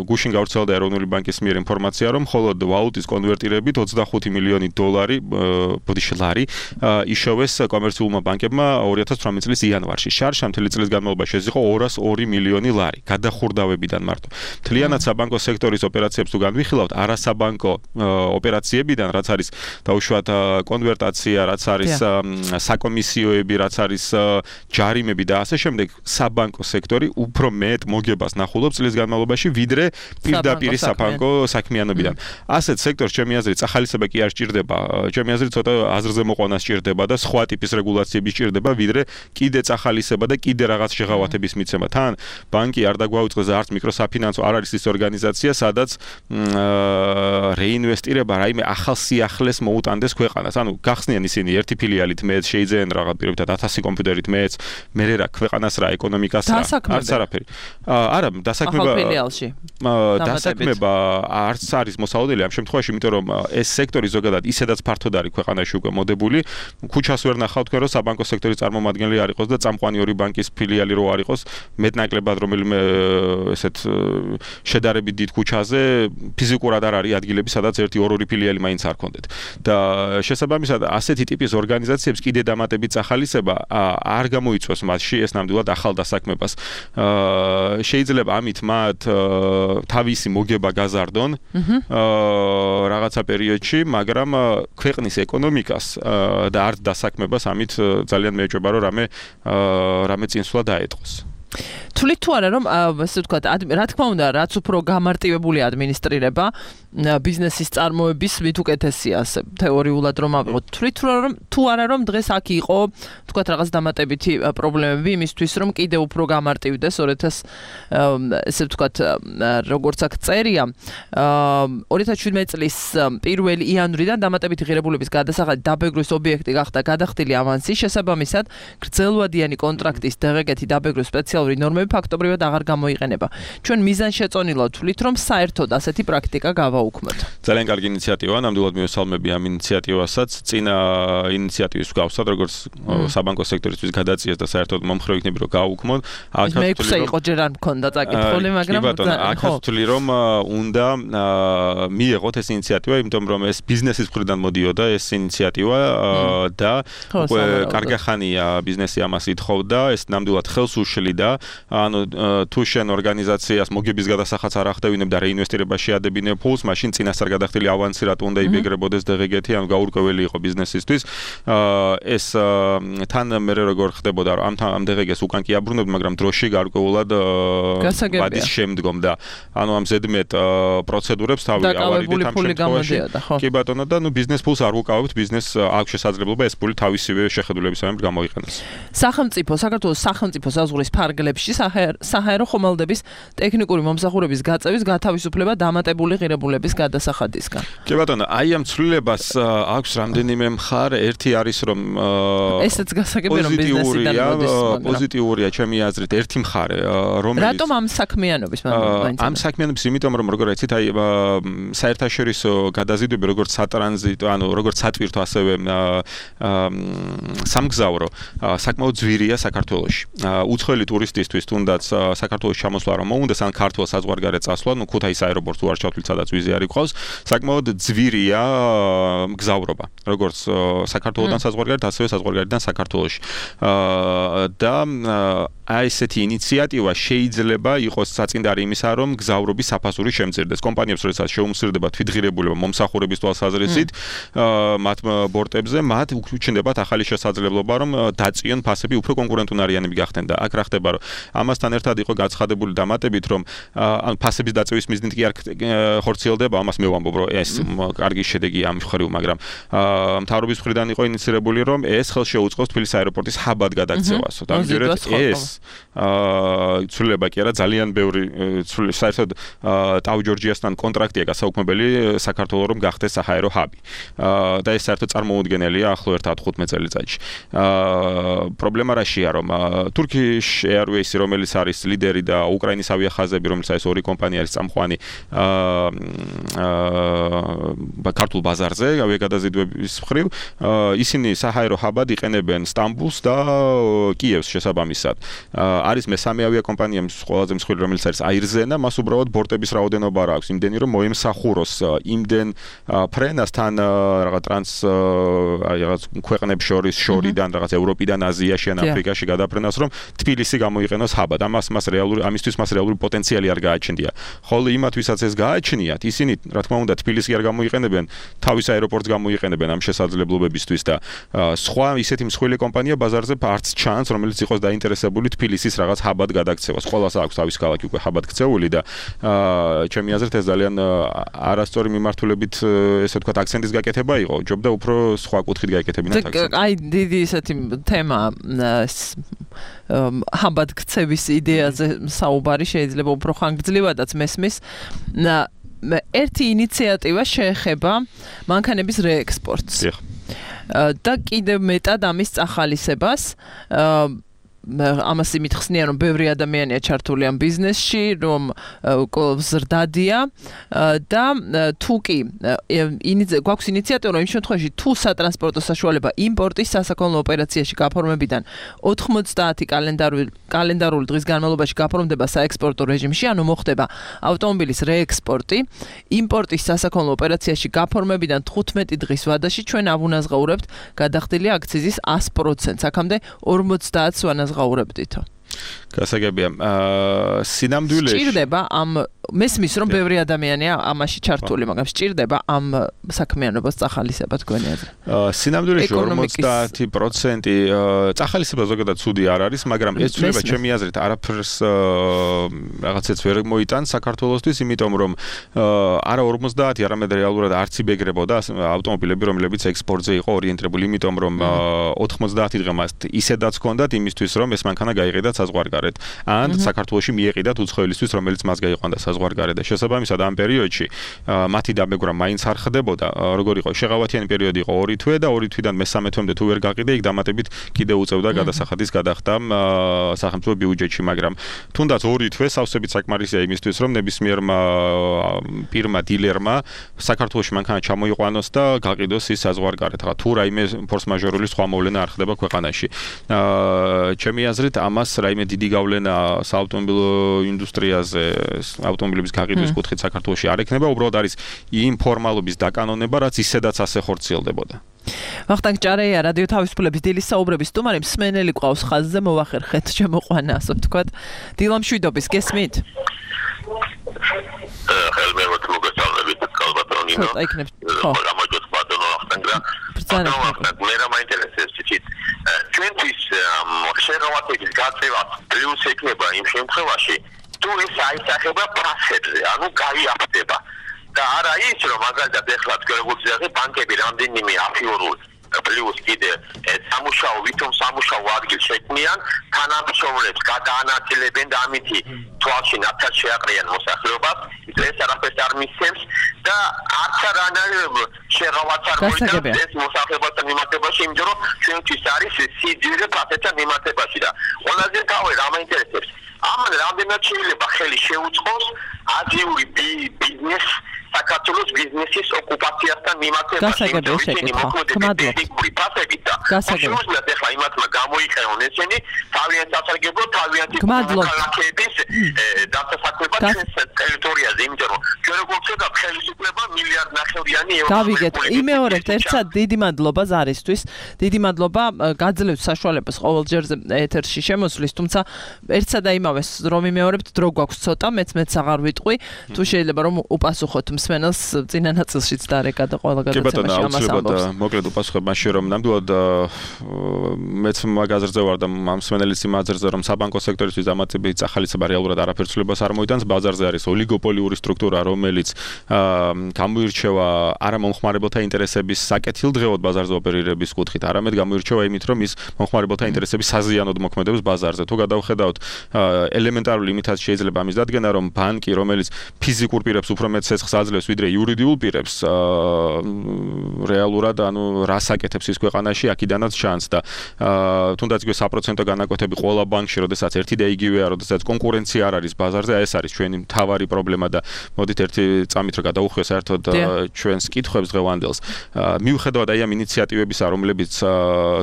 გუშინ გავრცელდა ეროვნული ბანკის მიერ ინფორმაცია, რომ მხოლოდ ვალუტის კონვერტირებით 25 მილიონი ლარი იშოვეს კომერციულმა ბანკებმა 2018 წლის იანვარში. შარშან მთელი წლის განმავლობაში ეს იყო 202 მილიონი ლარი გადახურდავებიდან მარტო. მთლიანად საბანკო სექტორის ოპერაციებს თუ განვიხილავთ, არასაბანკო ოპერაციებიდან, რაც არის დაუშვათ კონვერტაცია, რაც არის საკომისიოები, რაც არის ჯარიმები და ასე შემდეგ, საბანკო სექტორი უფრო მეტ მოგებას ნახულობს წლის განმავლობაში, ვიდრე პირდაპირ საბანკო საქმიანობიდან. ასეთ სექტორს ჩემი აზრით ახალისება კი არ სჭირდება, ჩემი აზრით ცოტა აზრზე მოყვანა სჭირდება და სხვა ტიპის რეგულაციები სჭირდება, ვიდრე კიდეც ახალისება და კიდე რაღაც შეღავათების მიცემა. თან ბანკი არ დაგვაუწყდეს არც მიკროსაფინანსო არ არის ის ორგანიზაცია, სადაც რეინვესტირება რაიმე ახალ სიახლეს მოუტანდეს ქვეყანას. ანუ გახსნიან ისინი ერთი ფილიალით მეც შეიძენ რაღაც პირობითად 1000 კომპიუტერით მეც, მე რა ქვეყანას რა ეკონომიკას რა არც არაფერი. არა, დასაქმება არც არის მოსაოდელი ამ შემთხვევაში, იმიტომ რომ ეს სექტორი ზოგადად ისედაც ფართოდ არის ქვეყანაში უკვე მოდებული. ქუჩას ვერ ნახავ თქვენ რომ საბანკო სექტორის წარმომადგენელი არ იყოს და წამყვანი ორი ბანკის ფილიალი რო არ იყოს, მეტნაკლებად რომელიმე ესეთ შედარებით დიდ ქუჩაზე ფიზიკურად არ არის ადგილები, სადაც ერთი-ორი ფილიალი მაინც არ ქონდეთ. და შესაბამისად ასეთი ტიპის ორგანიზაციებს კიდე დამატებით ახალისება არ გამოიწვევს მასში ეს ნამდვილად ახალ დასაქმებას. შეიძლება ამით მათ თავისი მოგება გაზარდონ რაღაცა პერიოდში, მაგრამ ქვეყნის ეკონომიკას და არც დასაქმებას ამით ძალიან მეეჭვება რომ რამე წინსვლა დაეტყოს. თვლით თუ არა რომ ასე ვთქვათ, რა თქმა უნდა, რაც უფრო გამარტივებული ადმინისტრირება ბიზნესის წარმოების მით უკეთესია, ასე თეორიულად რომ ავიღოთ. თვლით თუ არა რომ დღეს აქ იყო, ვთქვათ, რაღაც დამატებითი პრობლემები იმისთვის, რომ კიდევ უფრო გამარტივდეს 2000 ვთქვათ, როგორც აქ წერია, 2017 წლის 1 იანვრიდან დამატებითი ღირებულების გადასახადით დაბეგრვის ობიექტი გახდა გადახდილი ავანსი, შესაბამისად, გრძელვადიანი კონტრაქტის დაღეგეთი დაბეგრვის სპეციალური ნორმები ფაქტობრივად აღარ გამოიყენება. ჩვენ მიზანშეწონილად ვთვლით, რომ საერთოდ ასეთი პრაქტიკა გავაუქმოთ. ძალიან კარგი ინიციატივაა, ნამდვილად მივესალმები ამ ინიციატივასაც. წინა ინიციატივის გავსად, როგორც საბანკო სექტორისთვის გადაწიეს და საერთოდ მომხრე ვიქნები რომ გავაუქმოთ. მე ექვსე იყო ჯერ არ მქონდა წაკითხული, მაგრამ აქაც ვთვლი რომ უნდა მიეღოთ ეს ინიციატივა, იმიტომ რომ ეს ბიზნესის მხრიდან მოდიოდა ეს ინიციატივა და უკვე კარგი ხანია ბიზნესი ამას ითხოვდა, ეს ნამდვილად ხელს უშლიდა. ანუ თუ შენ ორგანიზაციას მოგების გადასახადს არ ახდევინებ და რეინვესტირებაში ადებინებ ფულს, მაშინ წინასწარ გადახდილი ავანსი რატო უნდა იბეგრებოდეს დღეგეთი, ანუ გაურკვეველი იყო ბიზნესისთვის. ეს თან მე როგორ ხდებოდა, რომ ამ დღეგეს უკან კი აბრუნებდი, მაგრამ დროში გარკვეულად ვადის შემდგომ და ანუ ამ ზედმეტ პროცედურებს თავი ავარიდით ამ შემთხვევაში. კი ბატონო და ნუ ბიზნეს ფულს არ უკავებთ, ბიზნესს აქვს შესაძლებლობა ეს ფული თავისივე შეხედულებისამებრ გამოიყენოს. საქართველოს სახელმწიფო საზღვრის ფარგლებში საჰაერო ხომალდების ტექნიკური მომსახურების გაწევის გათავისუფლება დამატებული ღირებულების გადასახადისგან. კი ბატონო, აი ამ ცვლილებას აქვს რამდენიმე მხარე, ერთი არის რომ ესეც გასაგები რომ ბიზნესიდან მოდის, პოზიტიურია ჩემი აზრით ერთი მხარე, რომელიც რატომ ამ საქმიანობის ამ საქმიანობის იმიტომ რომ როგორ იცით, აი საერთაშორისო გადაზიდვები როგორც სატრანზიტო, ანუ როგორც სატვირთო, ასევე სამგზავრო საკმაოდ ძვირია საქართველოში. უცხოელი ტურისტისთვის თუნდაც საქართველოს ჩამოსვლა რომ მოუნდეს, ან ქართულ საზღვარგარეთ წასვლა, ნუ ქუთაისის აეროპორტს თუ არ ჩავთვლით, სადაც ვიზი არ იქავს, საკმაოდ ძვირია მგზავრობა, როგორც საქართველოსთან საზღვარგარეთ, ასევე საზღვარგარეთიდან საქართველოში. და აი ესეთი ინიციატივა შეიძლება იყოს საწინდარი იმისა, რომ მგზავრობის საფასური შემცირდეს. კომპანიებს როდესაც შეუმცირდება თვითღირებულება მომსახურების თვალსაზრისით მათ ბორტებზე, მათ უჩნდებათ ახალი შესაძლებლობა, რომ დაწიონ ფასები უფრო კონკურენტუნარიანები გახდნენ და აქ რა ხდება, რომ ამასთან ერთად იყო გაცხადებული დამატებით, რომ ანუ ფასების დაწევის მიზნით კი არ ხორციელდება, ამას მე ვამბობ, რომ ეს კარგი შედეგია ამ მხრივ, მაგრამ მთავრობის მხრიდან იყო ინიცირებული, რომ ეს ხელს შეუწყოს თბილისის აეროპორტის ჰაბად გადაქცევას. ამჯერად ეს ცვლილება კი არა, ძალიან ბევრი საერთოდ ტაუ-ჯორჯიასთან კონტრაქტია გასაუქმებელი საქართველოს რომ გახდეს საჰაერო ჰაბი. და ეს საერთოდ წარმოუდგენელია ახლო ერთ 15 წელიწადში. პრობლემა რაშია, რომ Turkish Airways, რომელიც რომელიც არის ლიდერი და უკრაინის ავიახაზები, რომელიც არის ორი კომპანია არის წამყვანი ქართულ ბაზარზე, ავიაგადაზიდვების მხრივ, ისინი საჰაერო ჰაბად იყენებენ სტამბულს და კიევს შესაბამისად. არის მესამე ავიაკომპანია, ყველაზე მსხვილი, რომელიც არის აირზენა, მას უბრალოდ ბორტების რაოდენობა არ აქვს, იმდენი რომ მოემსახუროს იმდენ ფრენასთან რაღაც რაღაც ქვეყნებს შორიდან რაღაც ევროპიდან აზიაში ან აფრიკაში გადაფრენას, რომ თბილისი გამოიყენოს ჰაბად. ამისთვის მას რეალური პოტენციალი არ გააჩნია. ხოლო იმათ, ვისაც ეს გააჩნიათ, ისინი, რა თქმა უნდა, თბილისი არ გამოიყენებენ, თავის აეროპორტს გამოიყენებენ ამ შესაძლებლობებისთვის და სხვა ისეთი მსხვილი კომპანია ბაზარზე არც ჩანს, რომელიც იყოს დაინტერესებული თბილისის რაღაც ჰაბად გადაქცევას. ყველას აქვს თავის ქალაქი უკვე ჰაბად ქცეული და ჩემი აზრით ეს ძალიან არასწორი მიმართულებით, ესე ვთქვათ, აქცენტის გაკეთება იყო. ჯობდა უფრო სხვა კუთხით გაეკეთებინათ აქცენტი. აი, დიდი ესეთი თემა ჰაბად ქცევის იდეაზე საუბარი შეიძლება უფრო ხანგრძლივადაც მესმის. ერთი ინიციატივა შეეხება მანქანების რეექსპორტს. და კიდევ მეტად ამის წახალისებას ამას იმით ხსნიან, რომ ბევრი ადამიანია ჩართული ამ ბიზნესში, რომ ზრდადია და თუ კი გვაქვს ინიციატივა, იმ შემთხვევაში თუ სატრანსპორტო საშუალება იმპორტის სასაქონლო ოპერაციაში გაფორმებიდან 90 კალენდარული დღის განმავლობაში გაფორმდება საექსპორტო რეჟიმში, ანუ მოხდება ავტომობილის რეექსპორტი, იმპორტის სასაქონლო ოპერაციაში გაფორმებიდან 15 დღის ვადაში ჩვენ ავუნაზღაურებთ გადახდილი აქციზის 100%, აქამდე 50 ვანაზღაურებდითო. გასაგებია, სინამდვილეში სჭირდება ამ მესმის რომ ბევრი ადამიანია ამაში ჩართული, მაგრამ სჭირდება ამ საქმიანობას წახალისება თქვენი აზრით. სინამდვილეში 50% წახალისება ზოგადად ცუდი არ არის, მაგრამ ეს ცვლილება ჩემი აზრით არაფერს რაღაცეც ვერ მოიტანს საქართველოსთვის, იმიტომ რომ არა 50, არამედ რეალურად არც იბეგრებოდა ავტომობილები, რომლებიც ექსპორტზე იყო ორიენტირებული, იმიტომ რომ 90 დღემდე ისედაც ჰქონდათ იმისთვის, რომ ეს მანქანა გაიყიდათ საზღვარგარეთ, ან საქართველოში მიეყიდათ უცხოელისთვის, რომელიც მას გაიყვანდა საზღვარგარეთ და შესაბამისად ამ პერიოდში მათი დაბეგვრა მაინც არ ხდებოდა. როგორ იყო შეღავათიანი პერიოდი იყო 2 თვე და 2 თვიდან მე-3 თვემდე თუ ვერ გაყიდე, იქ დამატებით კიდე უწევდა გადასახადის გადახდამ სახელმწიფო ბიუჯეტში, მაგრამ თუნდაც 2 თვე სავსებით საკმარისია იმისთვის, რომ ნებისმიერმა პირმა დილერმა საქართველოში მანქანა ჩამოიყვანოს და გაყიდოს ის საზღვარგარეთ. თუ რაიმე ფორს-მაჟორული სხვა მოვლენა არ ხდება ქვეყანაში. ჩემი აზრით ამას რაიმე დიდი გავლენა საავტომობილო ინდუსტრიაზე, ავტომობილების გაყიდვის კუთხით საქართველოში არ ექნება, უბრალოდ არის იმ ფორმალობის დაკანონება, რაც ისედაც ასე ხორციელდებოდა. ვახტანგ ჭარეია, რადიო თავისუფლების დილის საუბრების სტუმარი, მსმენელი ყავს ხაზზე, მოვახერხეთ შემოყვანა, ასე ვთქვათ. დილამშვიდობის, გესმით? ხელმეროთ მოგესალმებით, კალბატონინო. გამარჯვოთ ბატონო ვახტანგა. მე რა მაინტერესებს ცით ჩვენთვის შეღავათების გაწევა პლუს ექნება იმ შემთხვევაში, თუ ეს აისახება ფასებზე, ანუ გაიაფდება. და არა ის, რომ მაგალითად ეხლა თქვენგულზე ბანკები რამდენიმე აფიორულ პლუს კიდე სამუშაო ადგილს შექმნიან, თანამშრომლებს გადაანაწილებენ და ამითი თვალში ნათად შეაყრიან მოსახლეობას, ეს არაფერს არ მისცემს და არც არანაირ შეღავათს არ მოიტანს ეს მოსახლეობასთან მიმართებაში, იმიტომ რომ ჩვენთვის არის სიძვირე ფასებთან მიმართებაში და ყველაზე თავი რა მაინტერესებს, ამან რამდენად შეიძლება ხელი შეუწყოს აზიური ბიზნეს საქართველოს ბიზნესის ოკუპაციასთან მიმართებაში, იმიტომ რომ ისინი მოქმედებით ტექნიკური ფასებით და შეუძლიათ ახლა იმათმა გამოიყენონ ესენი თავიანთ სასარგებლოდ, თავიანთი ქალაქების დასასაქმებლად ჩვენს ტერიტორიაზე, იმიტომ რომ ჩვენ როგორც ვთქვათ, ხელისუფლება მილიარდნახევრიანი ევროს დავიგეთ, იმეორებთ ერთად დიდი მადლობა ზარისთვის, დიდი მადლობა, გაძლევთ საშუალებას ყოველჯერზე ეთერში შემოსვლის, თუმცა ერთსა და იმავეს რომ იმეორებთ, დრო გვაქვს ცოტა, მეც აღარ ვიტყვი, თუ შეიძლება რომ უპასუხოთ მსმენელს წინა ნაწილშიც დარეკა და ყველა გადაცემაში ამას ამბობს. მოკლედ უპასუხებ მაშინ რომ ნამდვილად მეც მაგაზრზე ვარ და ამ მსმენელის იმაზრზე რომ საბანკო სექტორისთვის დამატებითი წახალისება რეალურად რეალურად არაფერცლებას არ მოიტანს, ბაზარზე არის ოლიგოპოლიური სტრუქტურა, რომელიც გამოირჩევა არა მომხმარებელთა ინტერესების საკეთილდღეოდ ბაზარზე ოპერირების კუთხით, არამედ გამოირჩევა იმით, რომ ის მომხმარებელთა ინტერესების საზიანოდ მოქმედებს ბაზარზე. თუ გადავხედავთ ელემენტარული იმითაც შეიძლება ამის დადგენა, რომ ბანკი, რომელიც ფიზიკურ პირებს უფრო მეტ ცეცხლს აძლევს, ვიდრე იურიდიულ პირებს, რეალურად რას აკეთებს ის ქვეყანაში, აქედანაც ჩანს და თუნდაც იგივე საპროცენტო განაკვეთები ყველა ბანკში, როდესაც ერთი და იგივეა, როდესაც კონკურენცია არ არის ბაზარზე, ეს არის ჩვენი მთავარი პრობლემა და მოდით ერთი წამით რომ გადავუხვიოთ საერთოდ ჩვენს კითხვებს დღევანდელს. მიუხედავად აი ამ ინიციატივებისა, რომლებიც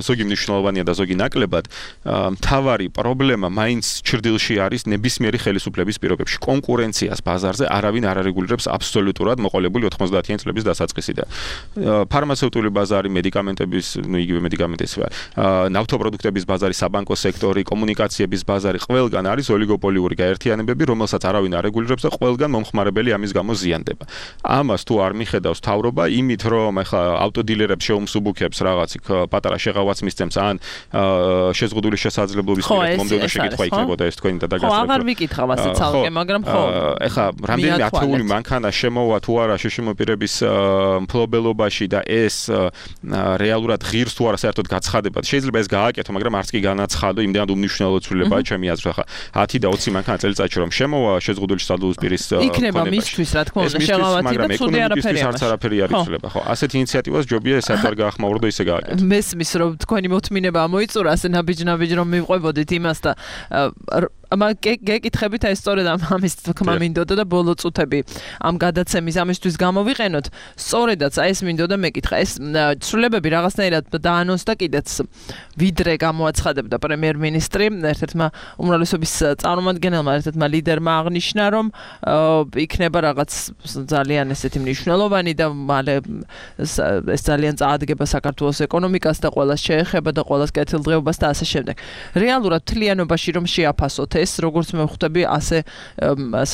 ზოგი მნიშვნელოვანია და ზოგი ნაკლებად, მთავარი პრობლემა მაინც ჩრდილში არის ნებისმიერი ხელისუფლების პირობებში. კონკურენციას ბაზარზე არავინ არ არეგულირებს აბსოლუტურად მოყოლებული 90-იან წლების დასაწყისიდან. ფარმაცევტული ბაზარი, მედიკამენტების, იგივე მედიკამენტებისა, ნავთობპროდუქტების ბაზარი, საბანკო სექტორი, კომუნიკაციების ბაზარი, ყველგან არის ოლიგოპოლიური გაერთიანებები, რომელსაც არავინ არ რეგულირებს და ყველგან მომხმარებელი ამის გამო ზიანდება. ამას თუ არ მიხედავს თავრობა, იმით რომ ახლა ავტოდილერებს შეუმსუბუქებს რაღაც იქ პატარა შეღავაც მისცემს ან შეზღუდული შესაძლებლობის პირით მომდევნო შეკითხვა იქნებოდა ეს თქვენი და დაგასწრებით. ხო, აღარ ვიკითხავ ასე ცალკე, მაგრამ ხო. ახლა რამდენიმე ათეული მანქანა შემოვა თუ არა შეშმოპირების მფლობელობაში და ეს რეალურად ღირს თუ არა საერთოდ გაცხადებად. შეიძლება ეს გააკეთო, მაგრამ არც კი განაცხადო, იმდენად უმნიშვნელო ცვლილებაა ჩემი აზრით. ახლა 10 და 20 მანქანა წელიწადში რომ შემოვა შეზღუდული შესაძლებლობის პირის იქნება მისთვის, რა თქმა უნდა, შეღავათი და ცუდი არაფერი არც არაფერი არ იცვლება. ხო, ასეთ ინიციატივას ჯობია ეს არ გაახმაურო და ისე გააკეთო. მესმის რომ თქვენი მოთმინება მოიწურა, ასე ნაბიჯ-ნაბიჯ რომ მივყვებოდით იმას და გეკითხებით აი სწორედ ამის თქმა მინდოდა და ბოლო წუთები ამ გადაცემის ამისთვის გამოვიყენოთ. სწორედაც აი ეს მინდოდა მეკითხა. ეს ცვლილებები რაღაცნაირად დაანონსდა კიდეც ვიდრე გამოაცხადებდა პრემიერ-მინისტრი ერთ-ერთმა უმრავლესობის წარმომადგენელმა, ერთ-ერთმა ლიდერმა აღნიშნა, რომ იქნება რაღაც ძალიან ესეთი მნიშვნელოვანი და მალე ეს ძალიან წაადგება საქართველოს ეკონომიკას და ყველას შეეხება და ყველას კეთილდღეობას და ასე შემდეგ. რეალურად თლიანობაში რომ შეაფასოთ ეს, როგორც მე ვხვდები, ასე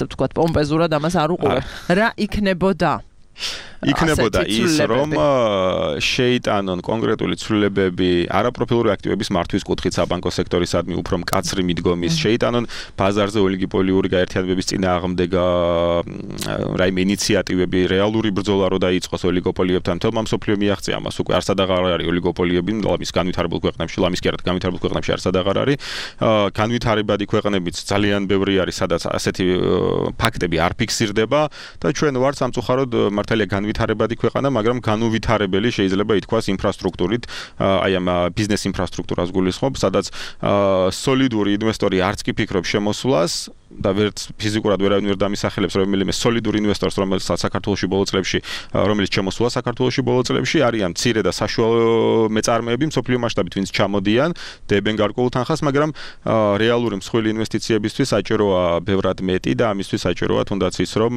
ვთქვათ, პომპეზურად ამას არ უყურებ. რა იქნებოდა? იქნებოდა ის, რომ შეიტანონ კონკრეტული ცვლილებები არაპროფილური აქტივების მართვის კუთხით საბანკო სექტორისადმი უფრო მკაცრი მიდგომის, შეიტანონ ბაზარზე ოლიგოპოლიური გაერთიანებების წინააღმდეგ რაიმე ინიციატივები, რეალური ბრძოლა რო დაიწყოს ოლიგოპოლიებთან, თელმა მსოფლიო მიაღწია ამას, უკვე არსად აღარ არის ოლიგოპოლიები, ლამის განვითარებულ ქვეყნებში, ლამის კერად განვითარებულ ქვეყნებში არსად აღარ არის. განვითარებადი ქვეყნებიც ძალიან ბევრი არის, სადაც ასეთი ფაქტები არ ფიქსირდება და ჩვენ ვართ სამწუხაროდ მართალია განვითარებადი ქვეყანა, მაგრამ განუვითარებელი შეიძლება ითქვას ინფრასტრუქტურით, აი ამ ბიზნეს ინფრასტრუქტურას გულისხმობ, სადაც სოლიდური ინვესტორი არც კი ფიქრობს შემოსვლას და ვერც ფიზიკურად ვერავინ ვერ დამისახელებს რომელიმე სოლიდურ ინვესტორს, რომელიც საქართველოში ბოლო წლებში, რომელიც შემოსულა საქართველოში ბოლო წლებში, არიან მცირე და საშუალო მეწარმეები მსოფლიო მასშტაბით, ვინც ჩამოდიან, დებენ გარკვეულ თანხას, მაგრამ რეალური მსხვილი ინვესტიციებისთვის საჭიროა ბევრად მეტი და ამისთვის საჭიროა თუნდაც ის, რომ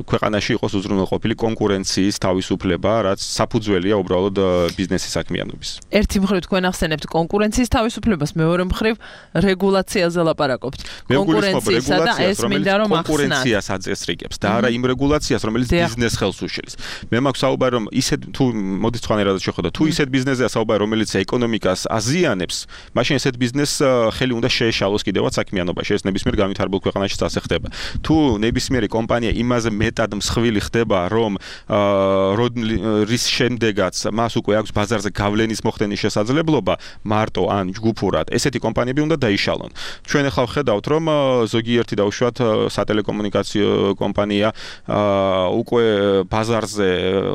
ქვეყანაში იყოს უზრუნველყოფილი კონკურენციის თავისუფლება, რაც საფუძველია უბრალოდ ბიზნესის საქმიანობის. ერთი მხრივ თქვენ ახსენებთ კონკურენციის თავისუფლებას, მეორე მხრივ რეგულაციაზე ლაპარაკობთ. კონკურენციისა და ეს მინდა რომ ახსნათ. კონკურენციას აწესრიგებს და არა იმ რეგულაციას, რომელიც ბიზნეს ხელს უშლის. მე მაქვს საუბარი, რომ ისეთ თუ მოდი სხვანაირად შეხვდა, თუ ისეთ ბიზნესზეა საუბარი, რომელიც ეკონომიკას აზიანებს, მაშინ ესეთ ბიზნესს ხელი უნდა შეეშალოს კიდევაც საქმიანობაში. ეს ნებისმიერ განვითარებულ ქვეყანაში ასე ხდება. თუ ნებისმიერი კომპანია იმაზე მეტად მსხვილი ხდება, რომ რის შემდეგაც მას უკვე აქვს ბაზარზე გავლენის მოხდენის შესაძლებლობა, მარტო ან ჯგუფურად, ესეთი კომპანიები უნდა დაიშალონ. ჩვენ ახლა ვხედავთ, რომ ზოგიერთი დაუშვათ სატელეკომუნიკაციო კომპანია უკვე ბაზარზე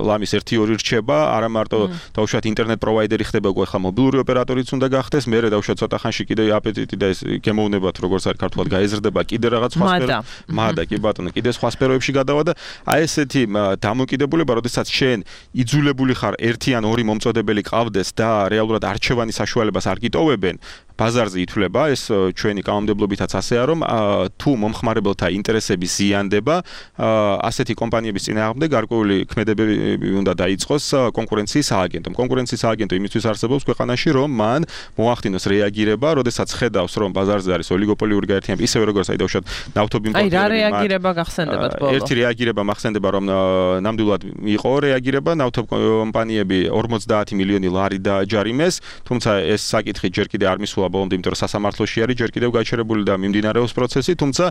ლამის 1-2 რჩება, არა მარტო დაუშვათ ინტერნეტ პროვაიდერი ხდება, უკვე ახლა მობილური ოპერატორიც უნდა გახდეს, მერე დაუშვათ ცოტა ხანში კიდე აპეტიტი და ეს გემოვნებათ, როგორც არის ქართულად გაეზრდება, კიდე რაღაც სხვა სფერო. მადა კი ბატონო, კიდე სხვა სფეროებში გადავა და აი ესეთი დამოკიდებულება, როდესაც შენ იძულებული ხარ ერთი ან ორი მომწოდებელი ყავდეს და რეალურად არჩევანის საშუალებას არ გიტოვებენ, ბაზარზე ითვლება, ეს ჩვენი კანონმდებლობითაც ასეა, რომ თუ მომხმარებელთა ინტერესები ზიანდება, ასეთი კომპანიების წინააღმდეგ გარკვეული ქმედებები უნდა დაიწყოს კონკურენციის სააგენტომ. კონკურენციის სააგენტო იმისთვის არსებობს ქვეყანაში, რომ მან მოახდინოს რეაგირება, როდესაც ხედავს, რომ ბაზარზე არის ოლიგოპოლიური გაერთიანება, ისევე როგორც აი დავუშვათ ნავთობიმპორტერები. აი რა რეაგირება გახსენდებათ ბოლო? ერთი რეაგირება მახსენდება, რომ ნამდვილად იყო რეაგირება, ნავთობკომპანიები 50 მილიონი ლარი დააჯარიმეს, თუმცა ეს საკითხი ჯერ კიდე არ მისულა დაასრულა ბოლომდე, იმიტომ რომ სასამართლოში არის ჯერ კიდევ გაჩერებული და მიმდინარეობს პროცესი, თუმცა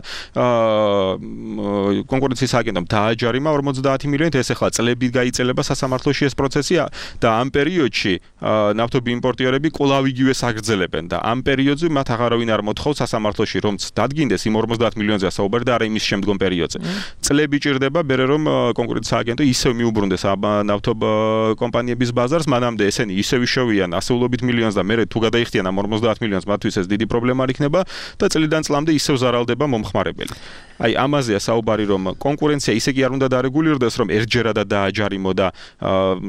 კონკურენციის აგენტომ დააჯარიმა 50 მილიონით, ეს ახლა წლები გაიწელება სასამართლოში ეს პროცესი და ამ პერიოდში ნავთობი იმპორტიორები კვლავ იგივეს აგრძელებენ და ამ პერიოდზე მათ აღარავინ არ მოთხოვს სასამართლოში რომ დადგინდეს იმ 50 მილიონზე საუბარი და არა იმის შემდგომ პერიოდზე. წლები ჭირდება მერე რომ კონკურენციის აგენტო ისევ მიუბრუნდეს ნავთობ კომპანიების ბაზარს, მანამდე ესენი ისევ იშოვიან ასეულობით მილიონს და მერე თუ გადაიხდიან ამ 50 მილიონს, მათთვის ეს დიდი პრობლემა არ იქნება და წლიდან წლამდე ისევ ზარალდება მომხმარებელი. აი ამაზეა საუბარი რომ კონკურენცია ისე კი არ უნდა დარეგულირდეს რომ ერთჯერადად დააჯარიმო და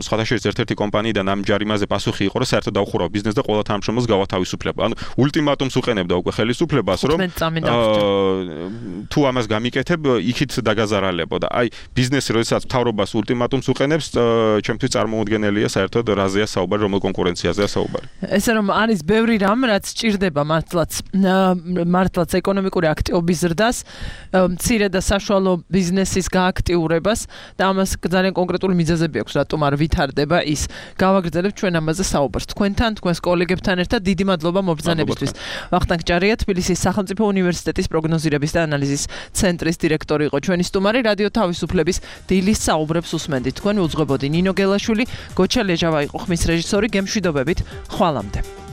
სხვათა შორის ერთ-ერთი კომპანიიდან ამ ჯარიმაზე პასუხი იყო რომ საერთოდ დაუხურავ ბიზნესს და ყველა თანამშრომელს გავათავისუფლება. ანუ ულტიმატუმს უყენებდა უკვე ხელისუფლებას რომ თუ ამას გამიკეთებ იქით დაგაზარალებო და აი ბიზნესი როდესაც მთავრობას ულტიმატუმს უყენებს ჩემთვის წარმოუდგენელია საერთოდ რაზეა საუბარი, რომელ კონკურენციაზეა საუბარი. ესე რომ არის ბევრი რამ რაც ჭირდება მართლაც ეკონომიკური აქტივობის ზრდას, მცირე და საშუალო ბიზნესის გააქტიურებას და ამას ძალიან კონკრეტული მიზეზები აქვს, რატომ არ ვითარდება ის. გავაგრძელებთ ჩვენ ამაზე საუბარს. თქვენთან, თქვენს კოლეგებთან ერთად დიდი მადლობა მობრძანებისთვის. ვახტანგ ჭარია, თბილისის სახელმწიფო უნივერსიტეტის პროგნოზირების და ანალიზის ცენტრის დირექტორი იყო ჩვენი სტუმარი. რადიო თავისუფლების დილის საუბრებს უსმენდით. თქვენ უძღვებოდი ნინო გელაშვილი, გოჩა ლეჟავა იყო ხმის რეჟისორი. გემშვიდობებით, ხვალამდე.